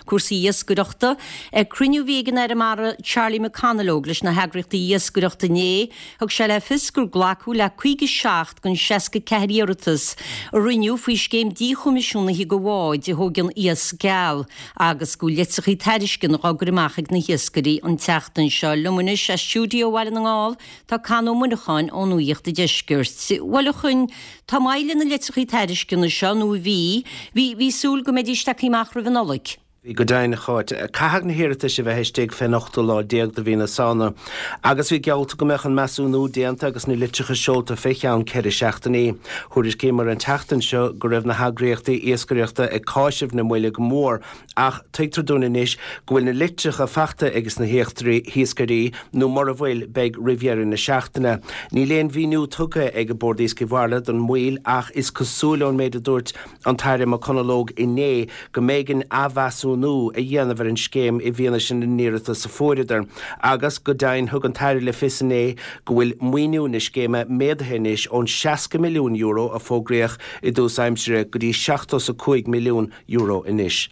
cúrsaí iascaireachta. Ag cruinniú a bhí ag an Aire Mara Charlie McConalogue leis na heagraíochtaí iascaireachta inné, thug sé le fios gur glacadh le caoga seacht den seasca ceathair iarratas a rinneadh faoi scéim díchoimisiúnaithe do bháid a thógann iasc geal agus go bhfuil litreacha tairisceana á gcur amach ag na hiascairí an tseachtain seo. Liom anois as stiúideo Bhaile na nGall tá Con Ó Muineacháin ó Nuacht an Deiscirt. Bhuel a Choinn, tá moill ar na litreacha tairisceana seo, nó bhí, bhí, bhí súil go mbeidís tagtha amach roimh an Nollaig. Bhí go deimhin, a Cháit. Caithfidh na hiarratais a bheith istigh fén ochtú lá déag de mhí na Samhna agus bhí geallta go mbeadh an measúnú déanta agus na litreacha seolta fé cheann ceithre seachtainí. Thuairiscíomar an tseachtain seo go raibh na heagraíochtaí iascaireachta ag cáiseamh na moille go mór ach tuigtear dúinn anois go bhfuil na litreacha faighte ages na hiascairí nó mura bhfuil, beidh roimh dheireadh na seachtaine. Níl aon mhíniú tugtha ag Bord Iascaigh Mhara don mhoill ach is cosúil ón méid a dúirt an tAire McConalogue inné go mb'éigean athmheasúnú a dhéanamh ar an scéim i bhfianaise na n-iarratas a fuaireadar. Agus go deimhin thug an tAire le fios inné go bhfuil maoiniú na scéime méadaithe anois ón seasca milliún euro a fógraíodh i dtús aimsire go dtí seachtó is a cúig milliún euro anois.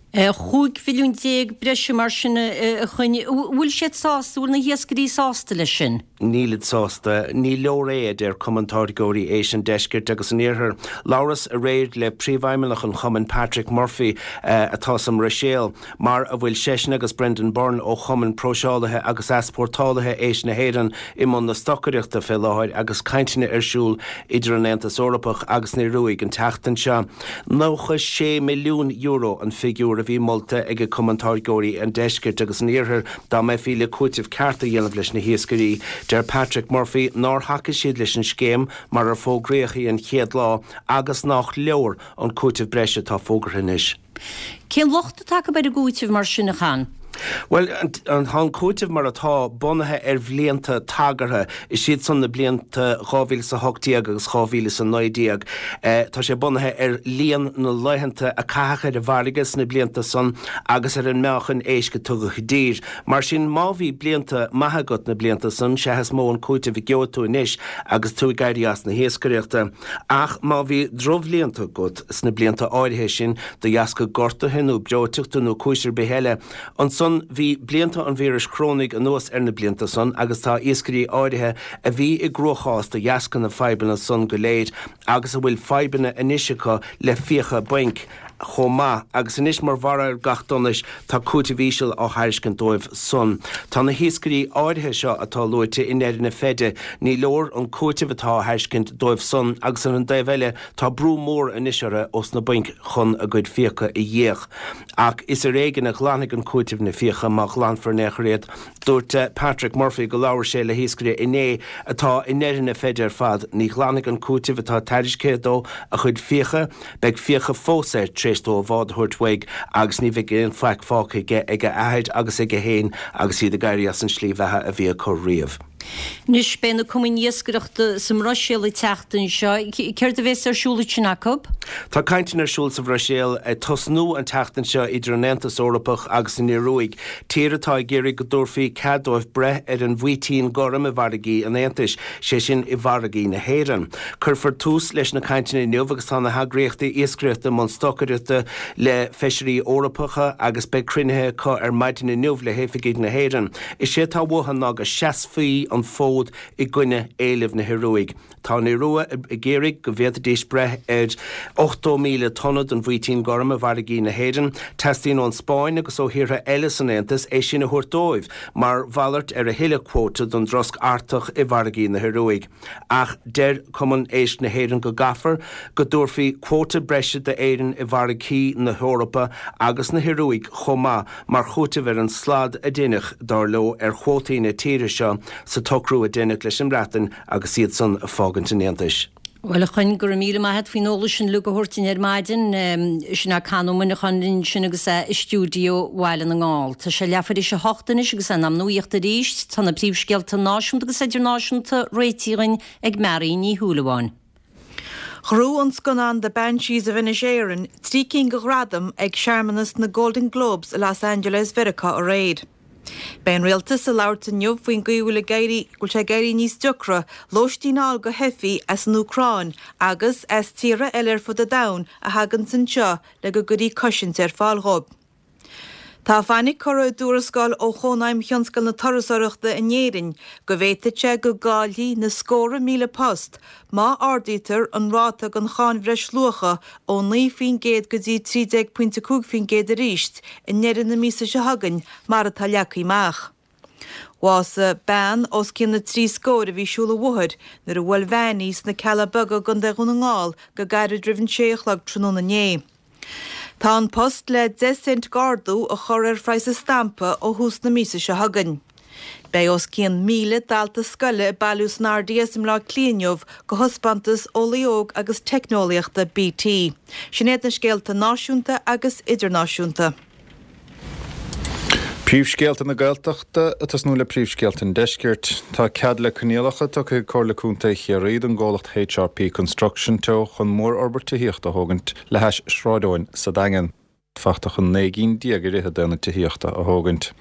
Chúig mhilliún déag breise mar sin a Choinn. Bhfuil siad sásta, bhfuil na hiascairí sásta leis sin? Nílid sásta. Ní leor é, a deir Cumann Táirgeoirí Éisc an Deiscirt agus an Iarthair. Labhras aréir le Príomhfheidhmeannach an chumainn, Patrick Murphy, atá sa mBruiséil, mar a bhfuil seisean agus Brendan Byrne ó Chumann Próiseálaithe agus Easpórtálaithe Éisc na hÉireann i mbun na stocaireachta fé láthair agus cainteanna ar siúl idir an Aontas Eorpach agus an Ioruaidh an tseachtain seo. nócha sé milliún euro an figiúr a bhí molta ag Cumann Táirgeoirí an Deiscirt agus an Iarthair dá mbeifí le cúiteamh ceart a dhéanamh leis na hiascairí. Deir Patrick Murphy nár thacaigh siad leis an scéim mar ar fógraíodh í an chéad lá agus nach leor an cúiteamh breise atá fógartha anois. Cén locht atá acu ar an gcúiteamh mar sin, a Chon? Bhuel, tá an cúiteamh mar atá bunaithe ar bhlianta tagartha, is iad san na blianta dhá mhíle is a hocht déag agus dhá mhíle is a naoi déag. Tá sé bunaithe ar líon na laethanta a caitheadh ar an bhfarraige sna blianta san agus ar an meáchan éisc a tugadh i dtír. Mar sin, má bhí blianta maithe agat na blianta san, sea is mó an cúiteamh a gheobhaidh tú anois agus tú ag éirí as na hiascaireachta. Ach má bhí drochbhlianta agat sna blianta áirithe sin, de dheasca gortuithe nó breoiteachta nó cúis ar bith eile, ansan bhí blianta an víris chorónaigh anuas ar na blianta san agus tá iascairí áirithe a bhí i gcruachás de dheasca na fadhbanna san go léir agus a bhfuil fadhbanna anois acu le fiacha bainc chomh maith agus anois mar bharr ar gach donais tá cúiteamh íseal á thairiscint dóibh san. Tá na hiascairí áirithe seo atá luaite i ndeireadh na feide, ní leor an cúiteamh atá á thairiscint dóibh san agus ar an dtaobh eile tá brú mór anois orthu ós na bainc chun a gcuid fiacha a dh'íoc. Ach is ar éigean a ghlanfaidh an cúiteamh na fiacha, má ghlanfar in aon chor iad. Dúirt Patrick Murphy go labhair sé le hiascaire inné atá i ndeireadh na feide ar fad. Ní ghlanfaidh an cúiteamh atá tairiscthe dó a chuid fiacha. Beidh fiacha fós air tar éis dó a bhád a thabhairt uaidh agus ní bheidh aon faic fágtha aige ag a athair agus aige féin agus iad ag éirí as an slí bheatha a bhí acu riamh. Anois, beidh na cumainn iascaireachta sa mBruiséil an tseachtain seo. Céard a bheas ar siúl ansin acu? Tá cainteanna ar siúl sa Bhruiséil ag tosnú an tseachtain seo idir an Aontas Eorpach agus an Ioruaidh, tír atá ag iarraidh go dtabharfaí cead dóibh breith ar an bhfaoitín gorm i bhfarraigí an Aontais, sé sin i bhfarraigí na hÉireann. Cuirfear tús leis na cainteanna inniu agus tá na heagraíochtaí iascaireachta i mbun stocaireachta le feisirí Eorpacha agus beidh cruinnithe acu ar maidin inniu le hoifigigh na hÉireann. Is é atá uathu ná go seasfaí an fód i gcoinne éilimh na hIoruaidh. Tá an Iorua ag iarraidh go bhféadfaidís breith ar ochtó míle tonna den bhfaoitín gorm i bhfarraigí na hÉireann. Teastaíonn ón Spáinn agus ó thíortha eile san Aontas é sin a thabhairt dóibh mar mhalairt ar a thuilleadh cuóta don drosc Artach i bhfarraigí na hIoruaidh. Ach deir Cumann Éisc na hÉireann go gcaithfear go dtabharfaí cuóta breise d'Éirinn i bhfarraigí na hEorpa agus na hIoruaidh chomh maith mar chúiteamh ar an slad a deineadh, dar leo, ar chuótaí na tíre seo sa tsocrú a deineadh leis an mBreatain agus iad san ag fágaint an Aontais. Bhuel, a Choinn, go raibh míle maith a't faoin eolas sin uilig a thabhairt dúinn ar maidin. Sin é Conn Ó Muineacháin linn ansin agus é i stiúideo Bhaile na nGall. Tá sé leathuair théis a hocht anois agus é in am nuaíochta arís. Tá na príomhscéalta náisiúnta agus idirnáisiúnta réitithe againn ag Mary Ní Shúilleabháin. Ghnóthaigh an scannán The Banshees of Inisherin trí cinn de ghradaim ag searmanas na Golden Globes i Los Angeles Mheiriceá aréir. Beidh an Rialtas ag labhairt inniu faoin gcaoi a bhfuil ag éirí go bhfuil sé ag éirí níos deacra lóistín a fháil do theifigh as an Úcráin agus as tíortha eile ar fud an domhain a thaganns anseo le go gcuirfí cosaint ar fáil dhóibh. Tá fainic curtha i dtuarascáil ó Chónaidhm Thionscal na Turasóireachta in Éirinn go bhféadfadh sé go gcaillfí na scórtha míle post má ardaítear an ráta den cháin bhreisluacha ó naoi faoin gcéad go dtí trí déag pointe cúig faoin gcéad arís i ndeireadh na míosa seo chugainn mar atá leagtha amach. Bhásaigh bean os cionn na trí scóir a bhí ag siúl an bhóthair nuair a bhuail veain í sna Cealla Beaga i gContae Dhún na nGall go gairid roimh an sé a chlog tráthnóna inné. Tá An Post le deich cent d'ardú a chur ar phraghas an stampa ó thús na míosa seo chugainn. Beidh os cionn míle dalta scoile ag bailiú san RDS i mBleá Cliath inniu do thaispeántas Eolaí Óg agus Teicneolaíochta BT. Sin iad na scéalta náisiúnta agus idirnáisiúnta. Príomhscéalta na Gaeltachta, ag tosnú le príomhscéalta an Deiscirt. Tá cead le coinníollacha tugtha ag Comhairle Contae Chiarraí don gcomhlacht HRP Construction Teo chun mórfhorbairt tithíochta a thógaint le hais Shráid Eoin sa Daingean. Fachta chun naoi gcinn déag i rith d'aonaid tithíochta a thógaint.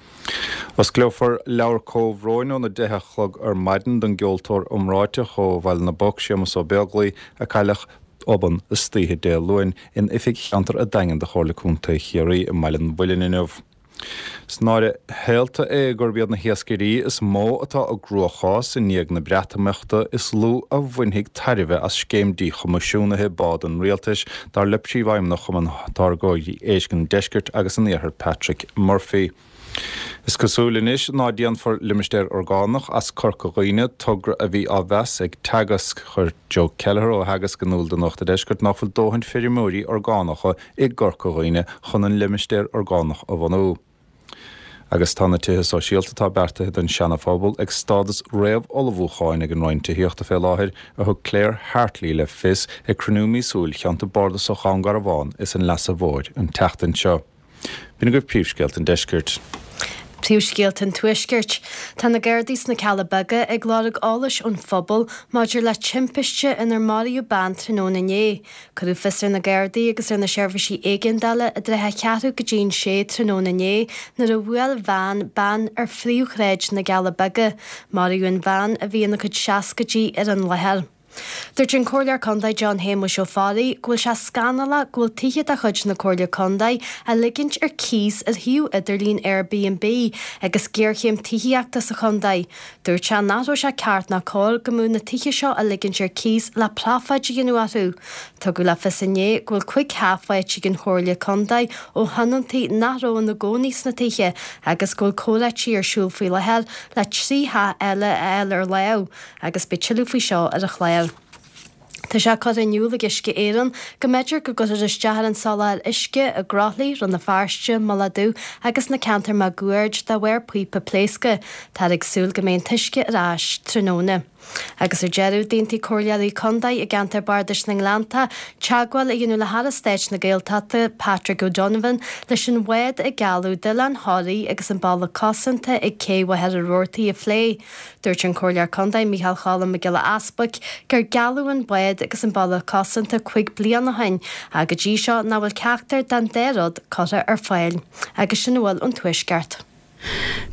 Osclófar leabhar comhbhróin óna deich a chlog ar maidin don gceoltóir iomráiteach ó Bhaile na bPoc, Séamus Ó Beaglaoi, a cailleadh obann istoíche Dé Luain in oifig cheantar an Daingin de Chomhairle Contae Chiarraí i mBaile an Mhuilinn inniu. Is náire shaolta é gurb iad na hiascairí is mó atá i gcruachás i ndiaidh na Breatimeachta is lú a bhainfidh tairbhe as scéim díchoimisiúnaithe bád an rialtais, dar le Príomhfheidhmeannach Chumann Táirgeoirí Éisc an Deiscirt agus an Iarthair Patrick Murphy. Is cosúil anois ná déanfar limistéar orgánach as Corca Dhuibhne, togra a bhí á mheas ag Teagasc. Chuir Joe Kelleher ó Theagasc in iúl do Nuacht an Deiscirt nach bhfuil dóthain feirmeoirí orgánacha i gCorca Dhuibhne chun an limistéar orgánach a bhunú. Agus tá na tithe sóisialta atá beartaithe don Seana-Phobal ag stádas réamh-ullmhúcháin ag an Roinn Tithíochta fé láthair, a thug Claire Hartley le fios ag cruinniú míosúil Cheantar Bardasach Dhún Garbhán is an Leasa Mhóir an tseachtain seo. B'in agaibh príomhscéalta an deiscirt. Príomhscéalta an Tuaiscirt. Tá na Gardaí sna Cealla Beaga ag lorg eolais ón phobal maidir le timpiste inar maraíodh bean tráthnóna inné. Cuireadh fios ar na Gardaí agus ar na seirbhísí éigeandála i dtrátha a ceathrú go dtí an sé tráthnóna inné nuair a bhuail veain bean ar phríomhshráid na gCealla Beaga. Maraíodh an bhean, a bhí ina cuid seascaidí, ar an láthair. Dúirt an Comhairleoir Contae John Shéamuis Ó Fearraigh go bhfuil sé scannalach go bhfuil tithe de chuid na Comhairle Contae á ligint ar cíos ar shuíomh idirlín Airbnb agus géarchéim tithíochta sa chontae. Dúirt sé nach raibh sé ceart ná cóir go mbeadh na tithe seo á ligint ar cíos le profáid a dhéanamh orthu. Tugadh le fios inné go bhfuil cúig theach faighte ag an Chomhairle Contae ó thionóntaí nach raibh ina gcónaí sna tithe agus go bhfuil comhráití ar siúl faoi láthair le trí theach eile a fháil ar láimh agus beidh tuilleadh faoi seo ar an chlár. Tá sé curtha in iúl ag Uisce Éireann go mb'fhéidir go gcuirfear isteach ar an soláthar uisce i gCroithlí, Rann na Feirste, Mullach Dubh agus na ceantair máguaird de bharr píopa pléasctha. Táthar ag súil go mbeidh an t-uisce ar ais tráthnóna. Agus ar deireadh, d'aontaigh comhairleoirí contae i gceantar Bardais na nGleannta teagmháil a dhéanamh le hAire Stáit na Gaeltachta, Patrick O'Donovan, leis an bhád a gealladh d'Oileán Thoraí agus an bealach cosanta ag Cé Mhachaire Rabhartaigh a phlé. Dúirt an Comhairleoir Contae Micheál Cholm Mac Giolla Easbuic gur gealladh an bád agus an bealach cosanta cúig bliana ó shin ach go dtí seo nach bhfuil ceachtar den dá rud curtha ar fáil. Agus sin a bhfuil ón Tuaisceart.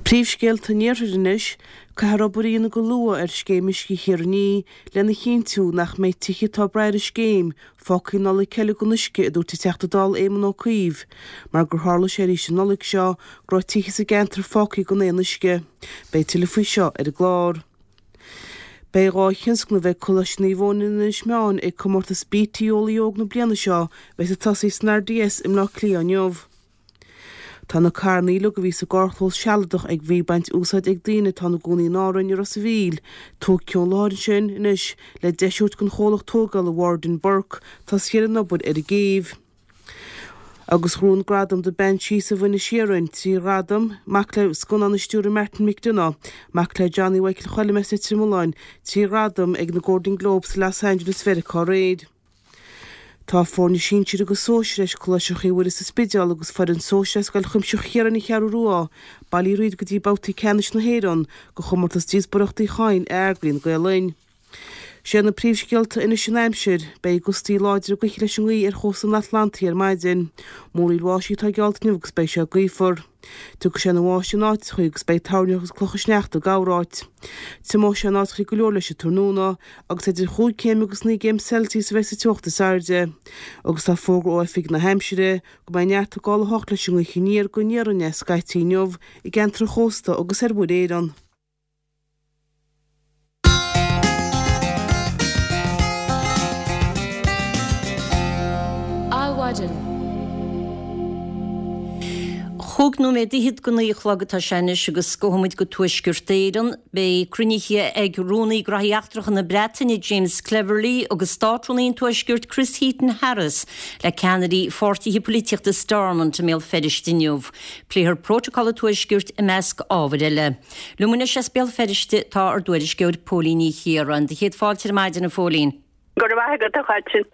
Príomhscéalta an Iarthair anois, Caithfear obair a dhéanamh go luath ar Scéim Uisce Thír an Fhia lena chinntiú nach mbeidh tithe atá ag brath ar an scéim fágtha i Nollaig eile gan uisce, a dúirt an Teachta Dála Éamon Ó Cuív, mar gur tharla sé arís an Nollaig seo go raibh tithe sa gceantar fágtha gan aon uisce. Beidh tuilleadh faoi seo ar an gclár. Beidh dhá thionscnamh ag Coláiste Naomh Eoin in Inis Meáin ag comórtas BT Eolaí Óg na bliana seo a bheas ag tosaí san RDS i mBleá Cliath inniu. Tá na carranna uilig a bhí sa gcarrchlós sealadach ag bhí ag baint úsáid ag daoine atá ina gcónaí in Árainn i Ros a' Mhíl tógtha ón láthair ansin anois le deis a thabhairt don chomhlacht tógála Warden Burke tosaí ar an obair ar an gcéibh. Agus ghnóthaigh an gradam The Banshees of Inisherin trí ghradam, mac le scannán a stiúraigh Martin McDonagh, mac le Johnny Mhichael Choilm as Leitir Mealláin, trí ghradam ag na Golden Globes i Los Angeles Mheiriceá aréir. Tá foirne sinsir agus sóisir as Coláiste Chroí Mhuire sa Spidéal agus foireann sóisir as Scoil Chuimsitheach Chiaráin an Cheathrú Rua bailithe thríd go dtí babhtaí ceannais na hÉireann de chomórtas Díospóireachta Uí Chadhain a eagraíonn Gael Linn. Sé na príomhscéalta anois an aimsir, beidh gustaí láidre gaoithe leis an ngaoth ar chósta an Atlantaigh ar maidin. Múraíl bháistí atá geallta inniu agus beidh sé gaofar. Tiocfaidh sé ina bháisteach in áiteachaí agus beidh toirneach agus clocha sneachta i gcorráit. Tiomóidh sé in áiteachaí go leor leis an tráthnóna agus idir chúig chéim agus naoi gcéim Celsius a bheidh sa teocht is airde. Agus tá fógra ó Oifig na hAimsire go mbeidh neart ag gabháil a hocht leis an ngaoth aniar go aniar aneas scaití inniu i gceantar an chósta agus ar Mhuir Éireann. Adhmhaidin. Chúig nóiméad fhichead go naoi a chlog atá sé anois agus gabhfaidh muid go Tuaisceart Éireann. Beidh cruinnithe ag Rúnaí Gnóthaí Eachtracha na Breataine James Cleverly agus Státrúnaí an Tuaiscirt Chris Heaton-Harris le ceannairí pháirtithe polaitíochta Stormont i mBéal Feirste inniu. Pléifear Prótacal an Tuaiscirt i measc ábhair eile. Liom anois as Béal Feirste tá ár dtuairisceoir Póilín Ní Chiaráin. Do chéad fáilte ar maidin a Phóilín. Go raibh maith agat a Cháitín.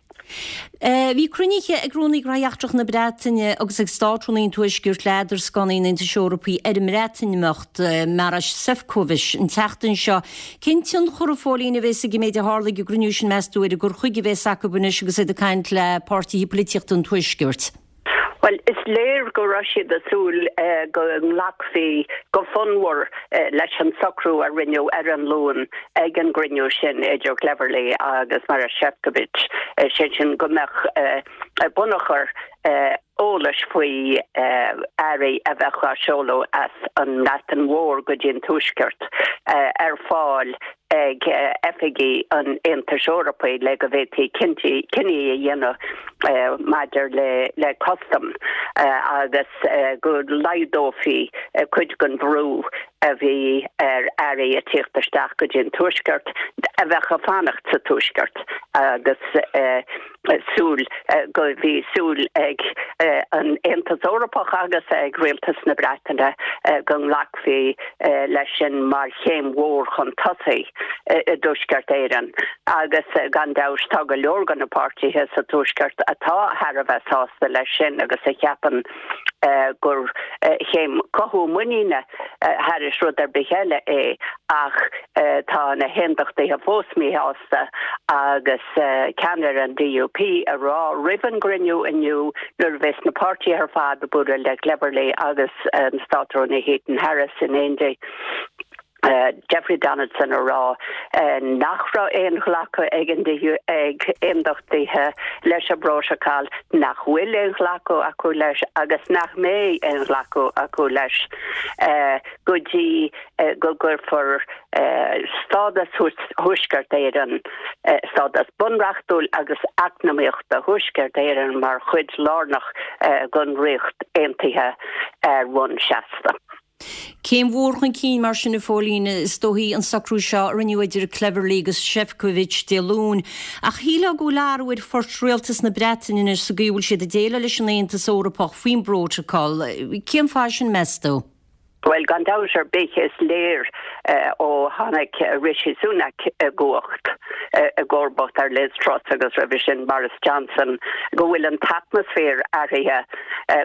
Bhí cruinnithe ag Rúnaí Gnóthaí Eachtracha na Breataine agus ag Státrúnaí an Tuaiscirt le hidirscannaí an Aontais Eorpaigh ar an mBreatimeacht, Maroš Šefčovič, an tseachtain seo. Cén tionchar, a Phóilín, a bheas ag an méid a tharla ag an gcruinniú sin, meas tú, ar an gcur chuige a bheas acu anois agus iad ag caint le páirtithe polaitíochta an Tuaiscirt? Bhuel, is léir go raibh siad ag súil go nglacfaí go fonnmhar leis an socrú a rinneadh ar an Luan ag an gcruinniú sin idir Cleverly agus Maroš Šefčovič, sé sin go mbeadh bunachar eolais faoi earraí a bheadh á seoladh as an mBreatain Mhór go dtí an Tuaisceart ar fáil ag oifigí an Aontais Eorpaigh le go bhféadfaí cinntí cinní a dhéanamh maidir le le custaim agus go laghdófaí cuid den bhrú a bhí ar earraí ag tíocht isteach go dtí an Tuaisceart a bheadh ag fanacht sa Tuaisceart agus súil go bhí súil ag an Aontas Eorpach agus ag Rialtas na Breataine go nglacfaí leis sin mar chéim mhór chun tosaigh i dTuaisceart Éireann agus gan dabht tá go leor de na páirtithe sa Tuaisceart atá thar a bheith sásta leis sin agus a cheapann gur chéim cothú muiníne thairis rud ar bith eile é ach tá na hAondachtaithe fós míshásta agus ceannaire an DUP ag rá roimh an gcruinniú inniu nuair a bheas na páirtithe ar fad ag bualadh le Cleverly agus an Státrúnaí Heaton Harris in éindí. Jeffrey Donaldson ag rá nach raibh aon ghlacadh ag an ag aondachtaithe leis an bprótacal, nach bhfuil aon ghlacadh acu leis agus nach mbeidh aon ghlacadh acu leis go dtí go gcuirfear stádas Thuaisceart Éireann, stádas bunreachtúil agus eacnamaíochta Thuaisceart Éireann mar chuid lárnach den Ríocht Aontaithe ar bhonn seasta. Céim mhór chun cinn mar sin, a Phóilín, is dóichí, an socrú seo a rinneadh idir Cleverly agus Šefčovič Dé Luain. Ach shílfeá go bhfuil athrú ar phort rialtas na Breataine anois sa gcaoi a bhfuil siad ag déileáil leis an Aontas Eorpach faoin bprótacal. Cén fáth sin, meas tú? Bhuel, gan dabht ar bith, is léir ó tháinig Rishi Sunak i gcumhacht, i gcomharbacht ar Liz Truss agus roimhe sin Boris Johnson, go bhfuil an t-atmaisféar athraithe.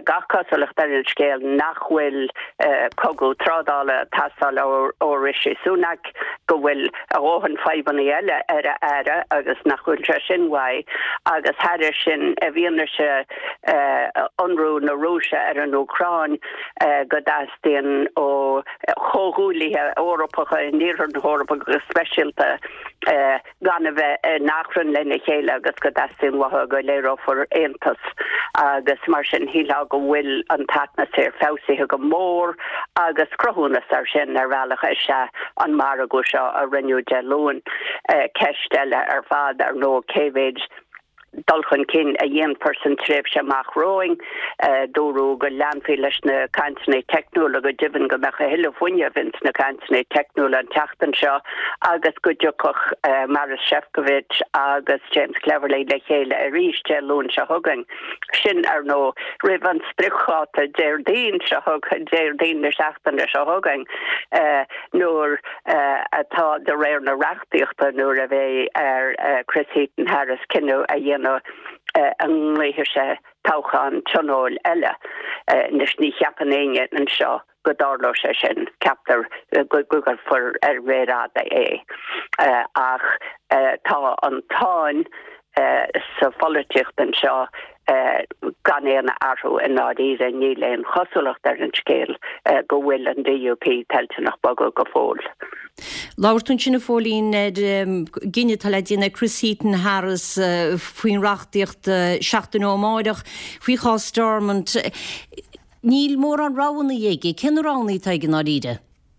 Gach cosúlacht ar an scéal nach bhfuil cogadh trádála ag teastáil ó Rishi Sunak, go bhfuil a dhóthain fadhbanna eile ar a aire agus nach bhfuil sé sin uaidh, agus thairis sin, i bhfianaise ionradh na Rúise ar an Úcráin, go dteastaíonn ó chomhghuaillithe Eorpacha in iarthar na hEorpa go speisialta gan a bheith in achrann lena chéile agus go dteastaíonn uathu go léireofar aontas agus mar sin shílfeá go bhfuil an t-atmaisféar feabhsaithe go mór agus cruthúnas ar sin ar bhealach is ea an margadh seo a rinneadh Dé Luain. Ceist eile ar fad ar ndóigh cé mhéid dul chun cinn a dhéanfar san tréimhse amach romhainn. Dúradh go leanfaí leis na cainteanna teicniúla, go deimhin go mbeadh a thuilleadh fuinnimh ins na cainteanna teicniúla an tseachtain seo agus go dtiocfadh Maros Sefcovic agus James Cleverly le chéile arís Dé Luain seo chugainn. Sin, ar ndóigh, roimh an spriocdháta Déardaoin seo Déardaoin na seachtaine seo chugainn nuair atá de réir na reachtaíochta nuair a bheidh ar Chris Heaton-Harris cinneadh a dhéanamh an nglaofaidh sé toghchán tionóil eile. Anois ní cheapann éinne anseo go dtarlóidh sé sin, ceaptar go gcuirfear ar mhéar fhada é. Ach tá an tsáinn sa pholaitíocht anseo gan aon athrú i ndáiríre, níl aon chosúlacht ar an scéal go bhfuil an DUP toilteanach bogadh go fóill. Labhair tú ansin a Phóilín ar gcinneadh atá le déanamh ag Chris Heaton Harris faoin reachtaíocht seachtain ó amárach faoi chás Stormont. Níl mórán roghanna aige. Cé na roghanna atá aige i ndáiríre?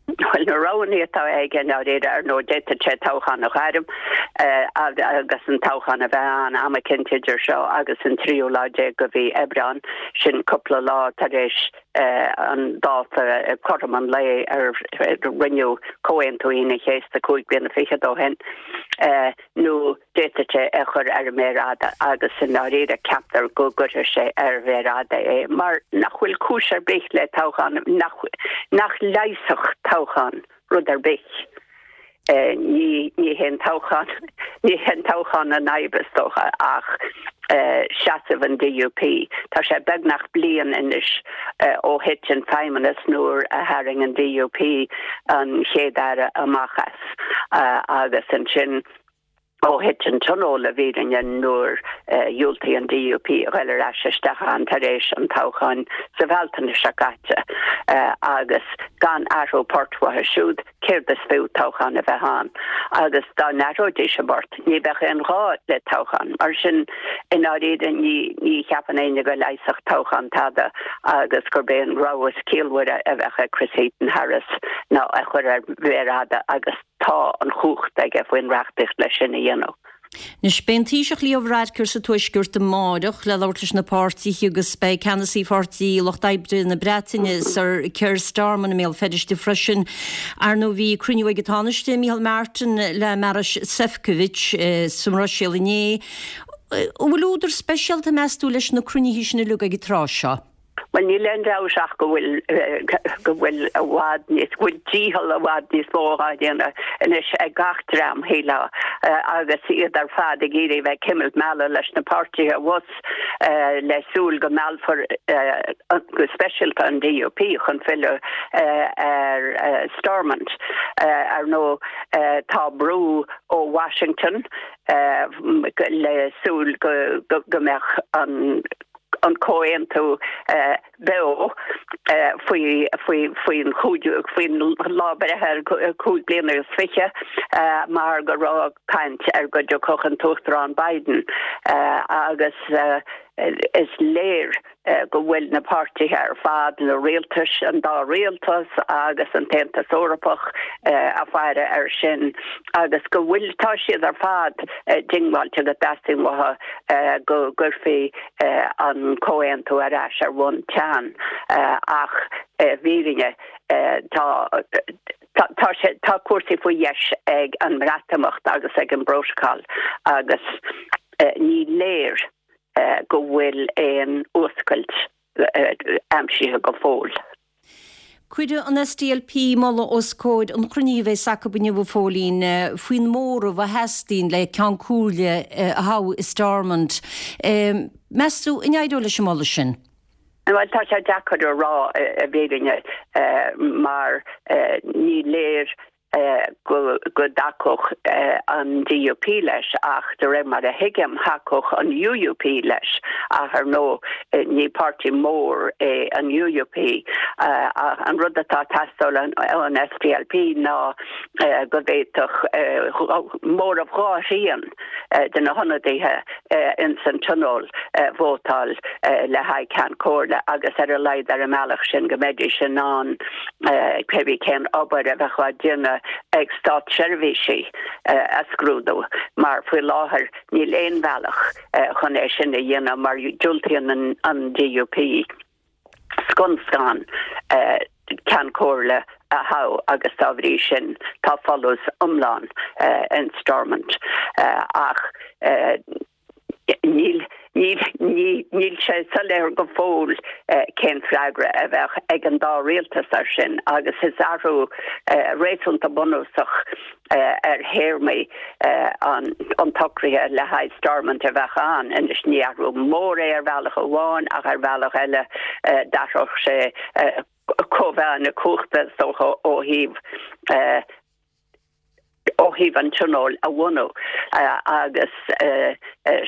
Bhuel, na roghanna atá aige i ndáiríre, ar ndóigh, d'fhéadfadh sé toghchán a ghairm agus an toghchán a bheith ann am eicínt idir seo agus an tríú lá déag de mhí Aibreán, sin cúpla lá tar éis an dáta cothrom an lae ar rinneadh Comhaontú Aoine an Chéasta cúig bliana fichead ó shin, nó d'fhéadfadh sé é a chur ar an méar fhada agus i ndáiríre ceaptar go gcuirfidh sé ar mhéar fhada é mar nach bhfuil cúis ar bith le toghchán, nach, nach leigheasfadh toghchán rud ar bith. Ní, ní hé an toghchán, ní hé an toghchán an fhadhb is dócha ach seasamh an DUP. Tá sé beagnach bliain anois ó thit an feidhmeannas nuair a tharraing an DUP an Chéad-Aire amach as agus ansin ó thit an Tionól i bhfírinne nuair a dhiúltaigh an DUP a ghoil ar ais isteach ann tar éis an toghcháin sa Bhealtaine seo caite agus gan athrú poirt uathu siúd, céard is fiú toghchán a bheith ann? Agus dá n-athróidís a bport, ní bheadh aon ghá le toghchán. Mar sin, i ndáiríre, ní ní cheapann éinne go leigheasfadh toghchán tada agus gurb é an rogha is ciallmhaire a bheadh ag Chris Heaton-Harris ná é a chur ar mhéar fhada agus tá an chumhacht aige faoin reachtaíocht leis sin a dhéanamh. Anois, beidh an Taoiseach Leo Varadkar sa Tuaisceart amáireach le labhairt leis na páirtithe agus beidh ceannasaí Pháirtí Lucht Oibre na Breataine, Sir Keir Starmer i mBéal Feirste freisin. Ar ndóigh, bhí cruinniú ag an Tánaiste, Micheál Martin, le Maros Sefcovic sa mBruiséil inné. An bhfuil údar speisialta, meas tú, leis na cruinnithe sin uilig ag an tráth seo? Bhuel, níl aon dabht ach go bhfuil, go bhfuil i bhfad níos, go bhfuil dícheall i bhfad níos mó á dhéanamh anois ag gach dream, shílfeá, agus iad ar fad ag iarraidh bheith ag cimilt meala leis na páirtithe abhus le súil go meallfar go speisialta an DUP chun filleadh ar Stormont. Ar ndóigh, tá brú ó Washington le súil go mbeadh an an comhaontú beo faoi faoin faoin lá breithe cúig bliana is fiche mar go raibh caint ar go dtiocfadh an tUachtarán Biden agus is léir go bhfuil na páirtithe ar fad, na rialtais, an dá rialtas agus an tAontas Eorpach ag faire air sin agus go bhfuil, tá siad ar fad diongbháilte go dteastaíonn uathu go gcuirfí an comhaontú ar ais ar bhonn teann ach i bhfírinne tá tá sé tá cúrsaí faoi dheis ag an mBreatimeacht agus ag an bPrótacal agus ní léir go bhfuil aon fhuascailt aimsithe go fóill. Cuirfidh an SDLP moladh os comhair an chruinnithe a bheas acu inniu, a Phóilín, faoin móramh a theastaíonn le Ceann Comhairle a thoghadh i Stormont. Meas tú an éireoidh leis an moladh sin? Bhuel, tá sé deacair a rá i bhfírinne mar ní léir go dtacódh an DUP leis ach de réir mar a thuigim thacódh an UUP leis ach ar ndóigh ní páirtí mór é an UUP an rud atá ag teastáil ón SDLP ná go bhféadfadh móramh dhá thrian de na hionadaithe ins an tionól vótáil le haghaidh Ceann Comhairle agus ar a laghad ar an mbealach sin go mbeidís in ann cébí cén obair a bheadh á déanamh ag státseirbhísigh a scrúdú mar faoi láthair níl aon bhealach chun é sin a dhéanamh mar diúltaíonn an DUP scun scan Ceann Comhairle a thoghadh agus dá bhrí sin tá folús iomlán in Stormont ach níl níl níl sé soiléir go fóill cén freagra a bheadh ag an dá rialtas air sin agus is athrú réasúnta bunúsach ar théarmaí an an tsocraithe le haghaidh Stormont a bheadh ann. Anois ní athrú mór é ar bhealach amháin ach ar bhealach eile d'athródh sé cóimheá na cumhachta is dócha ó thaobh ó thaobh an tionóil a bhunú agus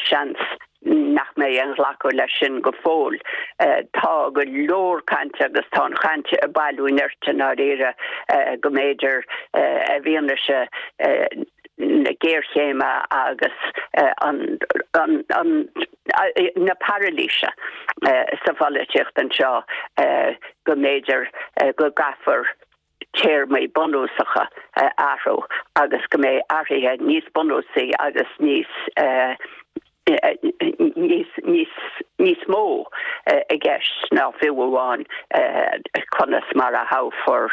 seans nach mbeidh aon ghlacadh leis sin go fóill. Tá go leor cainte agus tá an chaint ag bailiú nirt i ndáiríre go mb'fhéidir i bhfianaise na géarchéime agus an an na parailíse sa pholaitíocht anseo go mb'fhéidir go gcaithfear téarmaí bunúsacha a athrú agus go mbeidh athruithe níos bunúsaí agus níos níos níos níos mó i gceist ná fiú amháin conas mar a thoghfar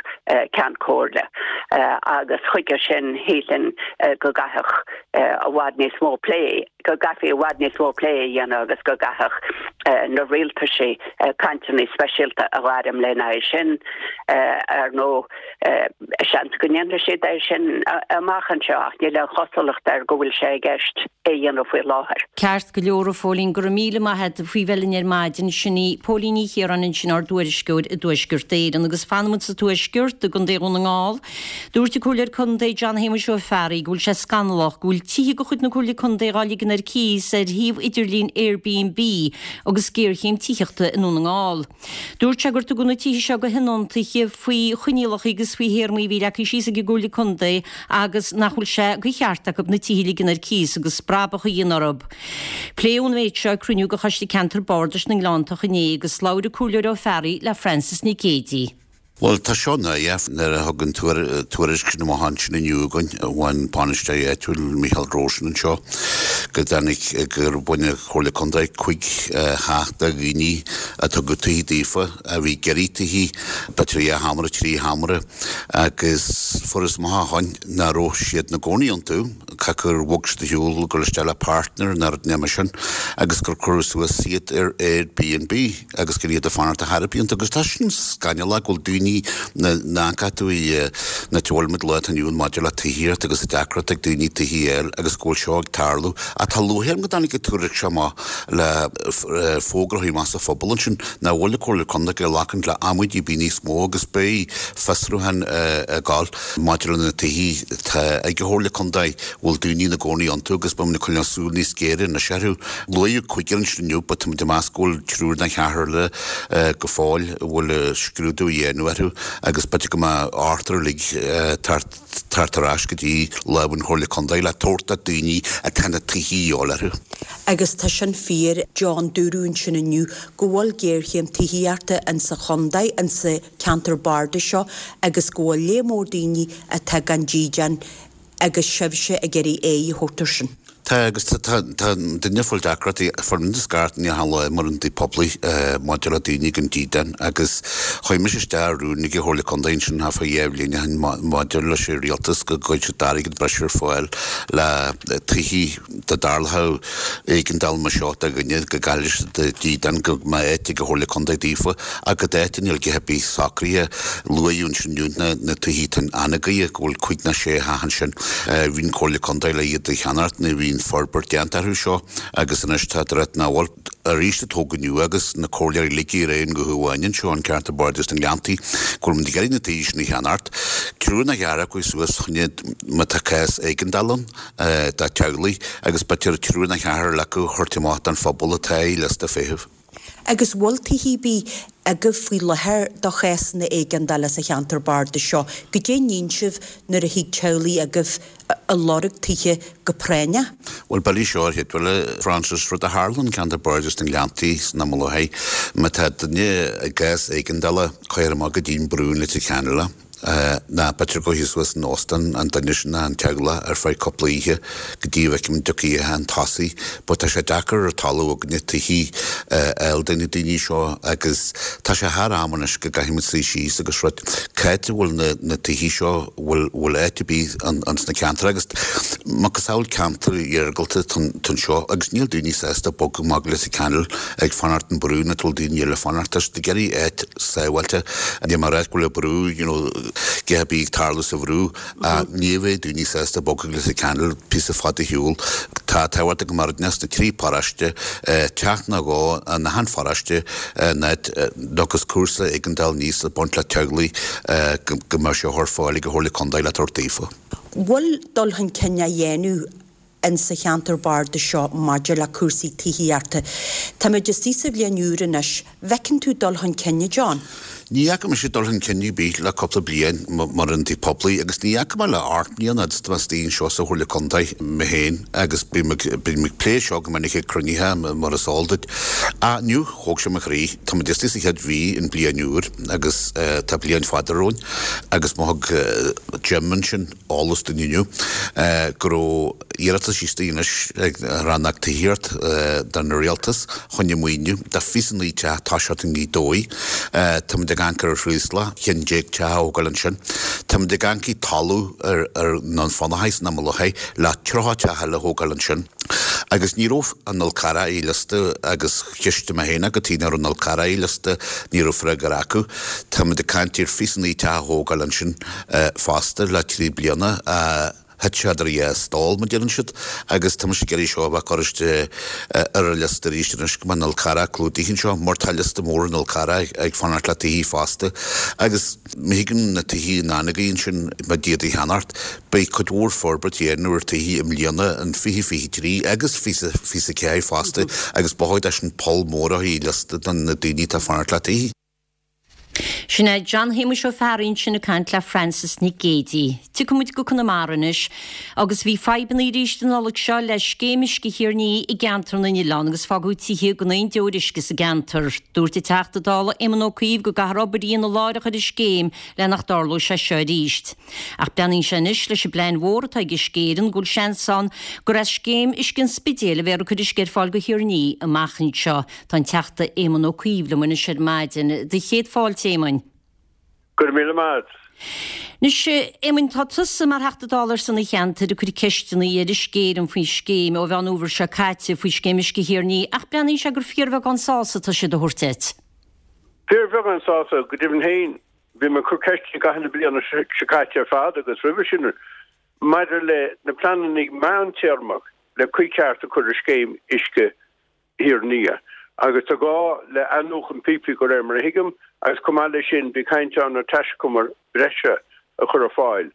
Ceann Comhairle agus chuige sin shílfinn go gcaithfeadh i bhfad níos mó plé go gcaithfí i bhfad níos mó plé a dhéanamh agus go gcaithfeadh na rialtaisí cainteanna speisialta a ghairm lena aghaidh sin ar ndóigh seans go ndéanfaidh siad é sin amach anseo ach níl aon chosúlacht air go bhfuil sé i gceist é a dhéanamh faoi láthair. Ceart go leor, a Phóilín, go raibh míle maith agat faoi bheith linn ar maidin. Sin í Póilín Ní Chiaráin ansin, ár dtuairisceoir i dTuaisceart Éireann. Agus fanfaimid sa Tuaisceart, i gContae Dhún na nGall. Dúirt an Comhairleoir Contae John Shéamuis Ó Fearraigh go bhfuil sé scannalach go bhfuil tithe de chuid na Comhairle Contae dhá ligean ar cíos ar shuíomh idirlín Airbnb agus géarchéim tithíochta i nDún na nGall. Dúirt sé gur tugadh na tithe seo do thionóntaithe faoi choinníollacha agus faoi théarmaí a bhí leagtha síos ag an gComhairle Contae agus nach bhfuil sé de cheart acu na tithe a ligean ar cíos agus brabach a dhéanamh orthu. Pléadh an méid seo ag cruinniú de Choiste Ceantair Bardais na nGleanntach inné agus labhair an Comhairleoir Ó Fearraigh le Frances Nic Géadaigh. Bhuel, tá seo náireach nuair a thug an tuairisc sin amach ansin inniu againn, ón bainisteoir áitiúil Micheál Drosnin anseo, go dtáinig gur bhain an Chomhairle Contae cúig theach de dhaoine a tugadh tithe daofa, a bhí ag iarraidh tithe, b'fhéidir dhá sheomra, trí sheomra, agus fuarthas amach ó shin nach raibh siad ina gcónaí iontu, caithfidh gur bhog siad ar shiúl, ag dul isteach le partner nó rud mar sin, agus gur cuireadh suas iad ar Airbnb. agus gur iad ag fanacht ar chor ar bith iontu agus tá sin scannalach go bhfuil daoine na tú i na teolmid lá atá inniu ann maidir le tithíocht agus an deacracht ag daoine tithí a fháil agus go bhfuil seo ag tarlú ach tá lúcháir orm go dtáinig an tuairisc seo amach le fógra a thabhairt amach sa phobal ansin nach bhfuil an Comhairle Contae ag glacaint le amaidí ar bith níos mó agus beidh fiosrúchán ag gabháil maidir le na tithí atá ag an Chomhairle Contae bhfuil daoine ina gcónaí iontu agus beimid ag coinneáil súil níos géire anois orthu. Luaíodh cúigear ansin inniu but táimid ag meas go bhfuil triúr nó ceathrar eile go fóill a bhfuil scrúdú á dhéanamh orthu agus b'fhéidir go mbeidh ochtar uilig tabhairt ar ais go dtí lámha an Chomhairle Contae le tabhairt do daoine atá na tithí a dhíobháil orthu. Agus tá sin fíor, John, dúradh ansin inniu go bhfuil géarchéim tithíochta insa chontae, insa cheantar bardais seo agus go bhfuil lear mór daoine atá gan dídean agus sibhse ag iarraidh aghaidh a thabhairt air sin. Tá, agus tá duine ag fáil deacrachtaí, fuair muid scairt ní hamháin lá mar an dtigh poiblí maidir le daoine gan dídean agus chuaigh mise isteach i rún ag an Chomhairle Contae ansin thart fá dhá bhliain ó shin maidir leis an rialtas go gcuirfeadh siad airgead breise ar fáil le tithí dá dtarlódh éigeandáil mar seo do dhuine go gcaillfidh siad a dídean go mbeadh áit ag an Chomhairle Contae daofa ach go dáta níl a dhath ar bith socraithe. Luaíodh ansin inniu na tithí atá in Anagaire go bhfuil cúig nó sé theach ansin. Bhí an Chomhairle Contae le iad a cheannacht nuair a bhí Bíonn forbairt déanta orthu seo agus anois tá rud nach bhfuil arís a tógadh nua agus na comhairleoirí uilig ar aon ghuth amháin anseo an ceantar bardais na nGleanntaí go bhfuil muid ag iarraidh na tithe sin a cheannacht. Triúr nó ceathrar acu suas chun má tá cás éigeandála ann do teaghlaigh agus b'fhéidir triúr nó ceathrar acu a thabhairt amach don phobal atá i liosta feithimh. Agus bhfuil tithe ar bith agaibh faoi láthair do chásanna éigeandála sa cheantar bardais seo? Goidé a níonn sibh nuair a thig teaghlaigh agaibh a lorg tithe go práinneach? Bhuel, b'fhéidir seo ar chéad a Frances, rud a tharla an ceantar bardais na nGleanntaí san am i láthair, má tá duine i gcás éigeandála, cuir amach go dtí an Brú in Leitir Ceanainn é. Ná b'fhéidir go suas in óstán an duine sin ná an teaghlach ar feadh cúpla oíche go dtí a bhfeicim an dtiocfaidh oíche an tosaigh but tá sé deacair ar talamh againne tithí a fháil do na daoine seo agus tá sé thar am anois go gcaithfidh muid suí síos agus rud cá háit a bhfuil na na tithí seo bhfuil bhfuil áit ar bith an an sna ceantair agus macasamhail ceantar iargúlta anseo agus níl daoine sásta bogadh amach go Leitir Ceanainn ag fanacht an brú ina bhfuil daoine eile fanacht tá siad ag iarraidh áit sábháilte níl mé ag rá go bhfuil an brú you know a dhath ar bith ag tarlú sa bhrú ní bheidh daoine sásta bogadh go Leitir Ceanainn píosa fada shiúl tá tábhacht go mbeadh sna trí paróiste teach nó dhó in achan pharóiste in áit agus cúrsa éigeandáil níos ag baint le teaghlaigh go mbeadh sé ar fáil ag an Chomhairle Contae le tabhairt daofa. Bhfuil dul chun cinn á dhéanamh in sa cheantar bardais seo maidir le cúrsaí tithíochta. Táimid istigh sa bhliain úr anois. Bhfeiceann tú dul chun cinn, a John? Ní fhaca mise dul chun cinn ar bith le cúpla bliain mar ionadaí poiblí agus ní fhaca mé le ocht mbliana fhad is atá mé istigh anseo sa Chomhairle Contae mé féin agus bím ag bím ag plé seo go minic ag cruinnithe mar is eol duit. Ach inniu thóg sé mo chroí. Tá muid istigh sa chéad mhí den bliain úr agus tá bliain fada romhainn agus má thug Jim ansin eolas dúinn inniu go raibh iarratas istigh anois ag Rannóg Tithíochta don Rialtas chun maoiniú do fiche naoi teach toiseacht i nGaoth Dobhair. Táimid ag amharc ar an Chraoslach, ceann déag teach a thógáil ansin. Táimid ag amharc ar talamh ar ar an Fionnachaidh san am i láthair le tríocha teach eile a thógáil ansin. Agus ní raibh an Fhál Carrach ar liosta agus cheistigh mé féin cad chuige nach raibh an Fhál Carrach ar liosta, ní raibh freagra acu. Táimid ag caint ar fiche naoi teach a thógáil ansin fosta le trí bliana. Thit sé idir dhá stól, mar deireann siad, agus tá mise ag iarraidh seo a bheith curtha ar an liosta arís anois go mbeidh an Fhál Carrach clúdaithe anseo, mar tá liosta mór an Fhál Carrach ag fanacht le tithí fosta. Agus má thigeann na tithí in Anagaidh ansin, má d'iad a cheannacht, beidh cuid mhór forbairt a dhéanamh ar tithí i mbliana, in fiche fiche trí agus fiche fiche ceathair fosta, agus ba chóir dó sin poll mór a chur i liosta do na daoine atá ag fanacht le tithí. Sin é John Shéamuis Ó Fearraigh ansin ag caint le Frances Nic Géadaigh. Tiocfaidh muid go Conamara anois agus bhí fadhbanna arís an Nollaig seo le scéim uisce Thír an Fhia i gceantar na nOileán agus fágadh tithe gan aon deoir uisce sa gceantar. Dúirt an Teachta Dála Éamon Ó Cuív go gcaithfear obair a dhéanamh láithreach ar an scéim le nach dtarlódh sé seo arís. Ach breathnaíonn sé anois leis an bplean mhór atá ag Uisce Éireann go bhfuil seans ann gur as scéim uisce an Spidéil a bheifear ag cur uisce ar fáil go Thír an Fhia amach anseo. Tá an Teachta Éamon Ó Cuív liom anois ar maidin. Do chéad fáilte, Éamoin. Go raibh míle maith agat. Anois, Éamoin, tá tusa mar Theachta Dála ar son an cheantair ag cur ceisteanna ar Uisce Éireann faoin scéim ó Mheán Fhómhair seo caite faoi scéim uisce Thír an Fhia ach breathnaíonn sé gur fíorbheagán sásamh atá siad a thabhairt duit. Fíorbheagán sásamh, go deimhin féin. Bhí mé ag cur ceisteanna i gcaitheamh na bliana seo caite ar fad agus roimhe sin maidir le na pleananna meántéarmach le caoi ceart a chur ar scéim uisce Thír an Fhia. Agus tá gá le athnuachan píopaí de réir mar a thuigim, agus chomh maith leis sin bhí caint ann ar taiscumar breise a chur ar fáil.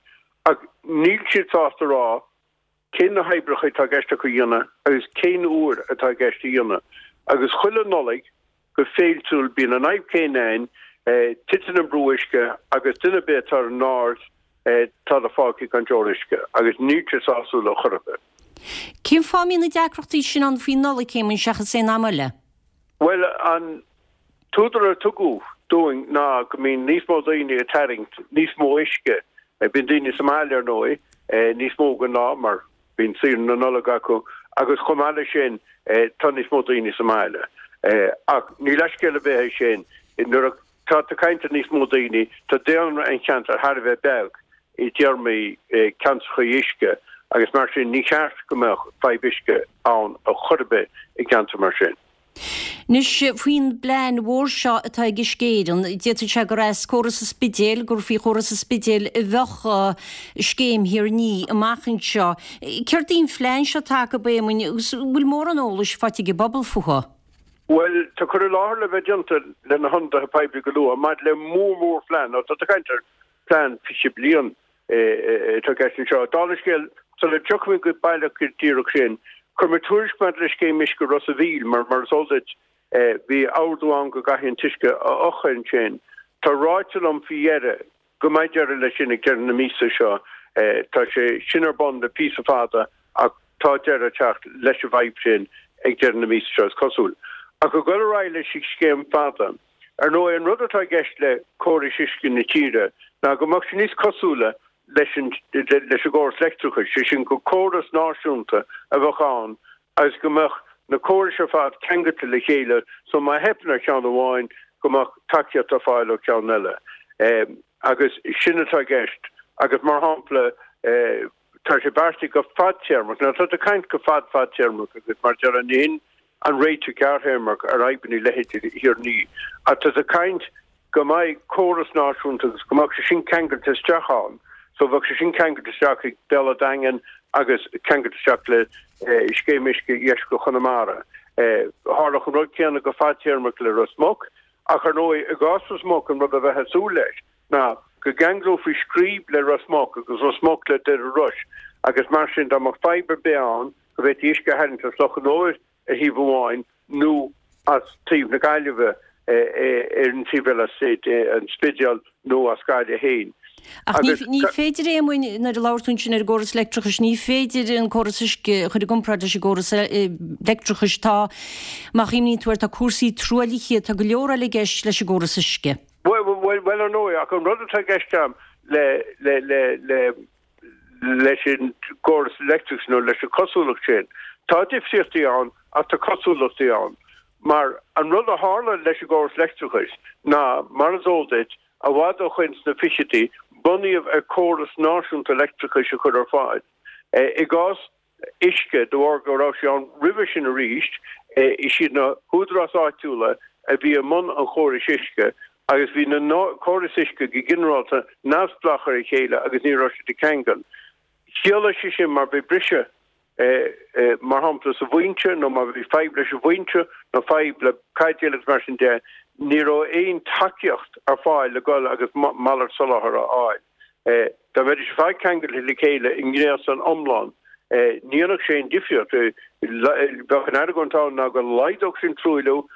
Ach níl siad sásta a rá cén na hoibreacha atá i gceist acu a dhéanamh agus cén uair atá i gceist a dhéanamh. Agus chuile Nollaig go féiltiúil bíonn an fhadhb céanna ann, titeann an brú uisce agus duine ar bith atá ar an aird tá siad fágtha gan deoir uisce agus níl sé sásúil ar chor ar bith. Cén fáth a mbíonn na deacrachtaí sin ann faoin Nollaig, Éamoin, seachas aon am eile? Bhuel, an t-údar a tugadh dúinn ná go mbíonn níos mó daoine ag tarraingt níos mó uisce. Bíonn daoine sa mbaile, ar ndóigh, níos mó de ghnáth mar bíonn saoire na Nollag acu agus chomh maith leis sin tá níos mó daoine sa mbaile. Ach ní leithscéal ar bith é sin. Nuair a tá tú ag caint ar níos mó daoine, tá daonra an cheantair thar a bheith beag i dtéarmaí ceantracha uisce agus mar sin ní cheart go mbeadh fadhb uisce ann ar chor ar bith i gceantar mar sin. Anois, faoin bplean mhór seo atá ag Uisce Éireann, d'fhéadfadh sé gur as córas an Spidéil, gur faoi chóras an Spidéil a bheadh scéim Thír an Fhia amach anseo. Céard í an phlean seo atá acu, a Éamoinn, agus an bhfuil mórán eolais faighte ag an bpobal fúthu? Bhuel, tá cur i láthair le bheith déanta le na hionadaithe poiblí go luath maidir le mór-mhórphlean, nó tá tú ag caint ar phlean fiche bliain atá i gceist anseo. Dála an scéil, sula dtiocfaidh mé go baileach go díreach sin, Chuir mé tuairisc maidir le scéim uisce Ros a' Mhíl, mar mar is eol duit, bhí ordú ann go gcaithfí an t-uisce a fhiuchadh ansin. Tá ráite liom faoi dheireadh go mbeidh deireadh leis sin ag deireadh na míosa seo. Tá sé sin ar bun le píosa fada ach tá deireadh ag teacht leis an bhfadhb sin ag deireadh na míosa seo, is cosúil. Ach ag dul ar aghaidh leis an scéim fada, ar ndóigh, an rud atá i gceist le córais uisce na tíre ná go mbeadh sé níos cosúla leis an leis an gcóras leictreachais, sé sin gur córas náisiúnta a bheadh ann agus go mbeadh na córais ar fad ceangailte le chéile so má theipeann ar cheann amháin go mbeadh tacaíocht ar fáil ó cheann eile. Agus sin atá i gceist agus mar shampla tá sé beartaithe go fadtéarmach, now tá tú ag caint go fad fadtéarmach agus mar a déarfá ní hin an réiteach gearrthéarmach ar fhadhbanna leithéidí Thír an Fhia ach tá tú ag caint go mbeidh córas náisiúnta agus go mbeadh sé sin ceangailte isteach ann. So bheadh sé sin ceangailte isteach ag Béal Átha Daingin agus ceangailte isteach le Scéim Uisce Dheisceart Chonamara. Tharlódh an rud céanna go fadtéarmach le Ros Muc ach ar ndóigh i gcás Ros Muc an rud a bheifeá ag súil leis ná go gceanglófaí Scríb le Ros Muc agus Ros Muc le Doire Rois agus mar sin dá mbeadh fadhb ar bith ann go bhféadfaí uisce a tharraingt as Loch an Iúir ar thaobh amháin nó as taobh na Gaillimhe ar an taobh eile, as an Spidéal nó as Gaillimh féin. Ach ní féidir é, nuair a labhair tú ansin ar an gcóras leictreachais, ní féidir an córas uisce a chur i gcomparáid leis an gcóras leictreachais. Tá, má chuimhníonn tú air, tá cúrsaí truaillithe, tá go leor eile i gceist leis an gcóras uisce. Bhuel, bhuel, ar ndóigh, ach an rud atá i gceist agam le, le, le, le, leis an gcóras leictreachais nó leis an chosúlacht sin, tá difríochtaí ann ach tá cosúlachtaí ann. Mar an rud a tharla leis an gcóras leictreachais ná, mar is eol duit, i bhfad ó shoin sna fichidí, bunaíodh ar córas náisiúnta leictreachais a chur ar fáil. I gcás uisce, de bharr go raibh sé ann roimhe sin arís, is iad na húdaráis áitiúla a bhí i mbun an chórais uisce agus bhí na córais uisce go ginearálta neamhspleách ar a chéile agus ní raibh siad ag ceangal. Chiallaigh sé sin má bhí briseadh, mar shampla sa bhfoinse nó má bhí fadhb leis an bhfoinse nó fadhb le caidéal agus mar sin de, ní raibh aon tacaíocht ar fáil le dhul agus malairt soláthair a fháil. Dá mbeidís ar fad ceangailte le chéile i ngréasán iomlán, ní dhéanfadh sé aon difríocht. Bheadh an argóint ann ná go laghdódh sin truailliú,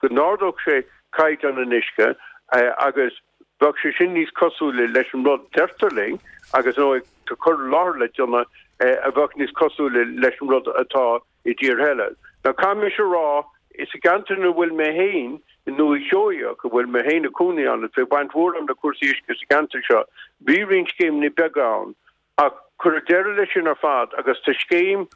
go n-ardódh sé caighdeán an uisce agus bheadh sé sin níos cosúla leis an rud, deirtear linn, agus ar ndóigh tá cur i láthair le déanamh, a bheadh níos cosúla leis an rud atá i dtíortha eile. Now caithfidh mise a rá, sa gceantar ina bhfuil mé féin, i nDúiche Sheoigheach, a bhfuil mé féin i cónaí ann, is beidh baint mhór agam le cúrsaí uisce sa gceantar seo, bhí roinnt scéimeanna beaga ann ach cuireadh deireadh leis sin ar fad agus tá scéim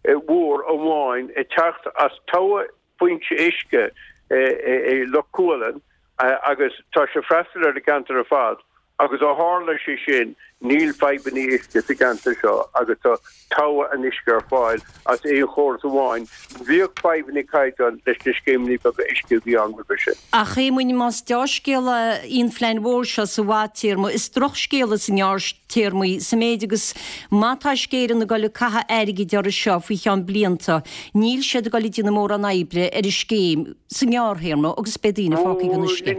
mhór amháin ag teacht as togha foinse uisce i Loch Cualann agus tá sé ag freastal ar an gceantar ar fad agus ó tharla sé sin níl fadhbanna uisce sa gceantar seo agus tá togha an uisce ar fáil as aon chóras amháin. Bhíodh fadhbanna caighdeáin leis na scéimeanna beaga uisce a bhí ann roimhe sin. Ach a Éamoinn, más deá-scéala í an phlean mhór seo sa bhfadtéarma, is drochscéala sa ngearrthéarma í, sa méid agus má tá Uisce Éireann ag dul ag caitheamh airgid orthu seo faoi cheann blianta, níl siad ag dul ag déanamh mórán oibre ar an scéim sa ngearrthéarma agus beidh daoine fágtha gan uisce.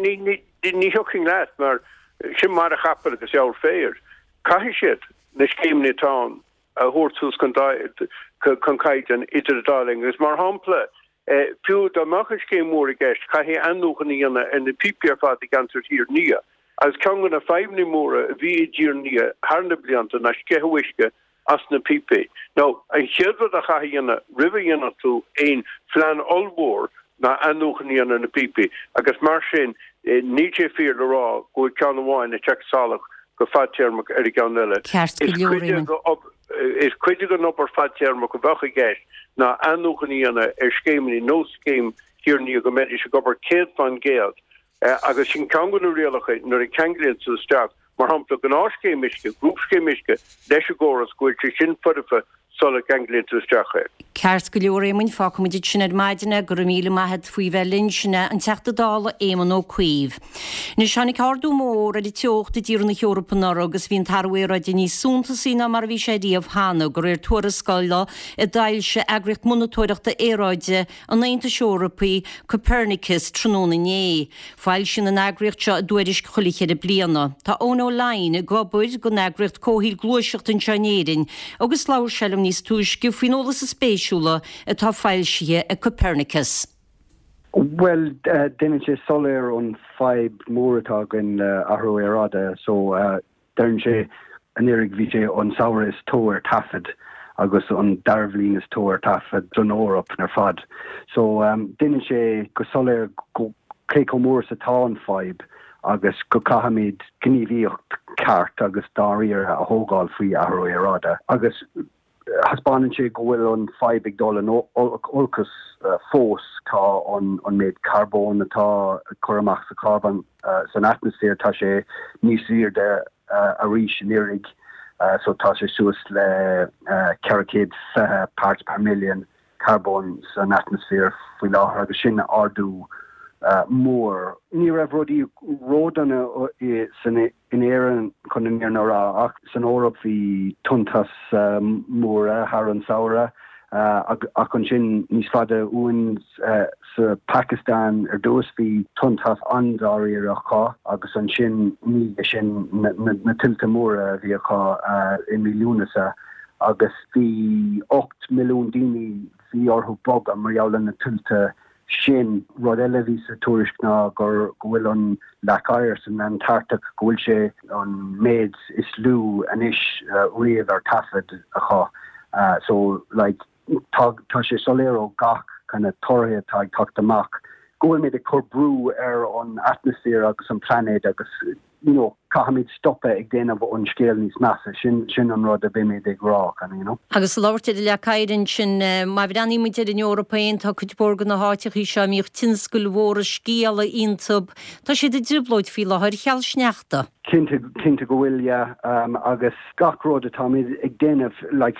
Ní thiocfainn leat mar sin maide capaill agus eabhar féir. Caithfidh siad na scéimeanna atá ann a thabhairt suas chun caighdeáin idir an dá linn agus mar shampla, fiú dá mbeadh an scéim mhór i gceist, caithfidh athnuachan a dhéanamh ar na píopaí ar fad i gceantar Thír an Fhia. Agus ceann de na fadhbanna móra a bhí i dTír an Fhia thar na blianta ná sceitheadh uisce as na píopaí. Now, an chéad rud a chaithfidh a dhéanamh roimh a dhéanfadh tú aon phlean ollmhór ná athnuachan a dhéanamh ar na píopaí agus mar sin níl sé fíor le rá go bhfuil ceann amháin ag teacht salach go fadtéarmach ar an gceann eile. Ceart go leor, Éamoinn. Is cuid den obair fadtéarmach a bheadh i gceist ná athnuachan a dhéanamh ar scéimeanna nós scéim Thír an Fhia go mbeidís ag obair céad fán gcéad agus sin ceann de na rialacha nuair a cheanglaíonn tú isteach, mar shampla, gnáthscéim uisce, grúpscéim uisce leis an gcóras go bhfuil sé sin foirfe sula gceanglaíonn tú isteach é. Ceart go leor, Éamoinn, fágfaimid ansin ar maidin é, go raibh míle maith agat faoi bheith linn, sin é an Teachta Dála Éamon Ó Cuív. Anois tháinig ardú mór ar an teocht i dtíortha na hEorpa anuraidh agus bhí an t-athrú aeráide níos suntasaí ná mar a bhí sé riamh cheana, de réir tuarascála a d'fhoilsigh eagraíocht monatóireachta aeráide an Aontais Eorpaigh, Copernicus, tráthnóna inné. Foilsíonn an eagraíocht seo a dtuairisc chuile cheithre bliana. Tá Eoin Ó Laighin ag obair don eagraíocht comhshaoil Gluaiseacht anseo in Éirinn agus labhair sé liom níos túisce faoin eolas spéisiúla atá foilsithe ag Copernicus. Bhuel, déanann sé soiléir an fadhb mór atá againn le athrú aeráide so deireann sé anuraidh bhí sé an samhradh is teo ar taifead agus an dara bhliain is teo ar taifead don Eoraip ar fad. So déanann sé go soiléir go cé chomh mór is atá an fadhb agus go caithfimid gníomhaíocht ceart agus dáiríre a thógáil faoi athrú aeráide agus thaispeánann sé go bhfuil an fadhb ag dul in olcas fós. Tá an an méid carbóin atá ag cur amach sa charbón san atmaisféar, tá sé níos airde arís anuraidh so tá sé suas le ceithre chéad fiche parts per million carbóin san atmaisféar faoi láthair agus sin ardú mór. Ní raibh rudaí ródhona san in Éirinn chun an fhírinne a rá ach san Eoraip bhí tonnta móra thar an samhradh ach ansin níos faide uainn sa Phacastáin ar dtús bhí tonnta an-dáiríre acu agus ansin ní sin na tuilte móra a bhí acu i mí Lúnasa agus bhí ocht milliún daoine bhí orthu bogadh mar gheall ar na tuilte sin. Rud eile a bhí sa tuairisc ná gur go bhfuil an leac oighir san Antartach go bhfuil sé an méid is lú anois riamh ar taifead acu. So like tá tá sé soiléir ó gach kind of torthaí atá ag teacht amach go bhfuilimid ag cur brú ar an atmaisféar agus an plainéad agus you know caithfimid stopadh ag déanamh an scéal níos measa. Sin sin an rud a bhímid ag rá kind of, you know. Agus labhairt ar an leac oighir ansin, má bhreathnaímid ar an Eoraip féin, tá cuid mhór de na háiteachaí seo a mbíodh tionscail mhóra sciála iontu, tá siad i dtrioblóid faoi láthair cheal sneachta. Cinnte, cinnte go bhfuil, yeah. Um, agus gach rud atáimid ag déanamh, like,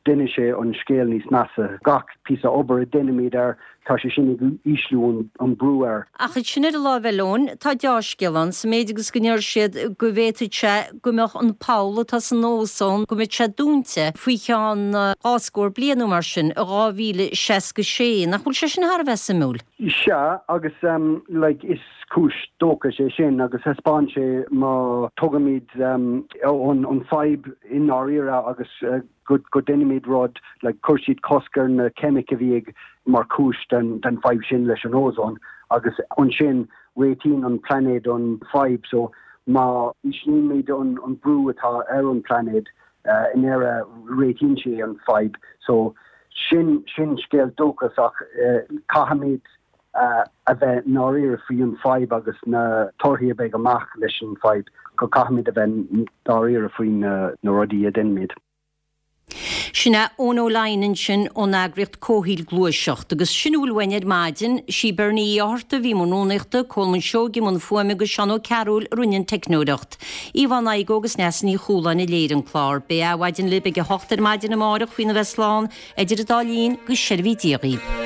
déanann sé an scéal níos measa. Gach píosa obair a déanaimid air, tá sé sin ag ísliú an, an brú air. Ach sin ar an láimh eile, Eoin, tá deá-scéal ann, sa méid agus go ndeir siad go bhféadfadh sé go mbeadh an poll atá san ózón, go mbeadh sé dúnta faoi cheann dhá scór bliain nó mar sin, i dhá mhíle seasca sé. Nach bhfuil sé sin thar a bheith suimiúil? Sea, agus um, like, is cúis dóchais é sin agus thaispeáin sé má tugaimid um, an, an fadhb i ndáiríre agus uh, go, go ndéanaimid rud like, chuir siad cosc ar na ceimic a bhí ag mar chúis den, den fadhb sin leis an ózón agus ansin réitíonn an plainéad an fadhb so má íslímid an, an brú atá ar an plainéad uh, in deireadh réitíonn sé an fadhb so sin sin scéal dóchais ach uh, caithfimid uh, a bheith ndáiríre faoi an fadhb agus na torthaí a bheidh amach leis an fadhb go caithfimid a bheith ndáiríre faoi na, na rudaí a déanaimid. Sin é Eoin Ó Laighin ansin ón eagraíocht Comhshaoil Gluaiseacht, agus sin a bhfuil uainn ar maidin, sí Bernie Uí Fhátharta a bhí i mbun rúnaíochta, Colman Seoighe i mbun fuaime agus Seán Ó Cearúil a rinne an teicneoireacht. Yvonne Igoe agus Neasa Ní Chualáin a léirigh an clár. Beidh Adhmhaidin libh ag a hocht ar maidin amárach faoina bheith slán, idir an dá linn go seirbhí Dia dhaoibh.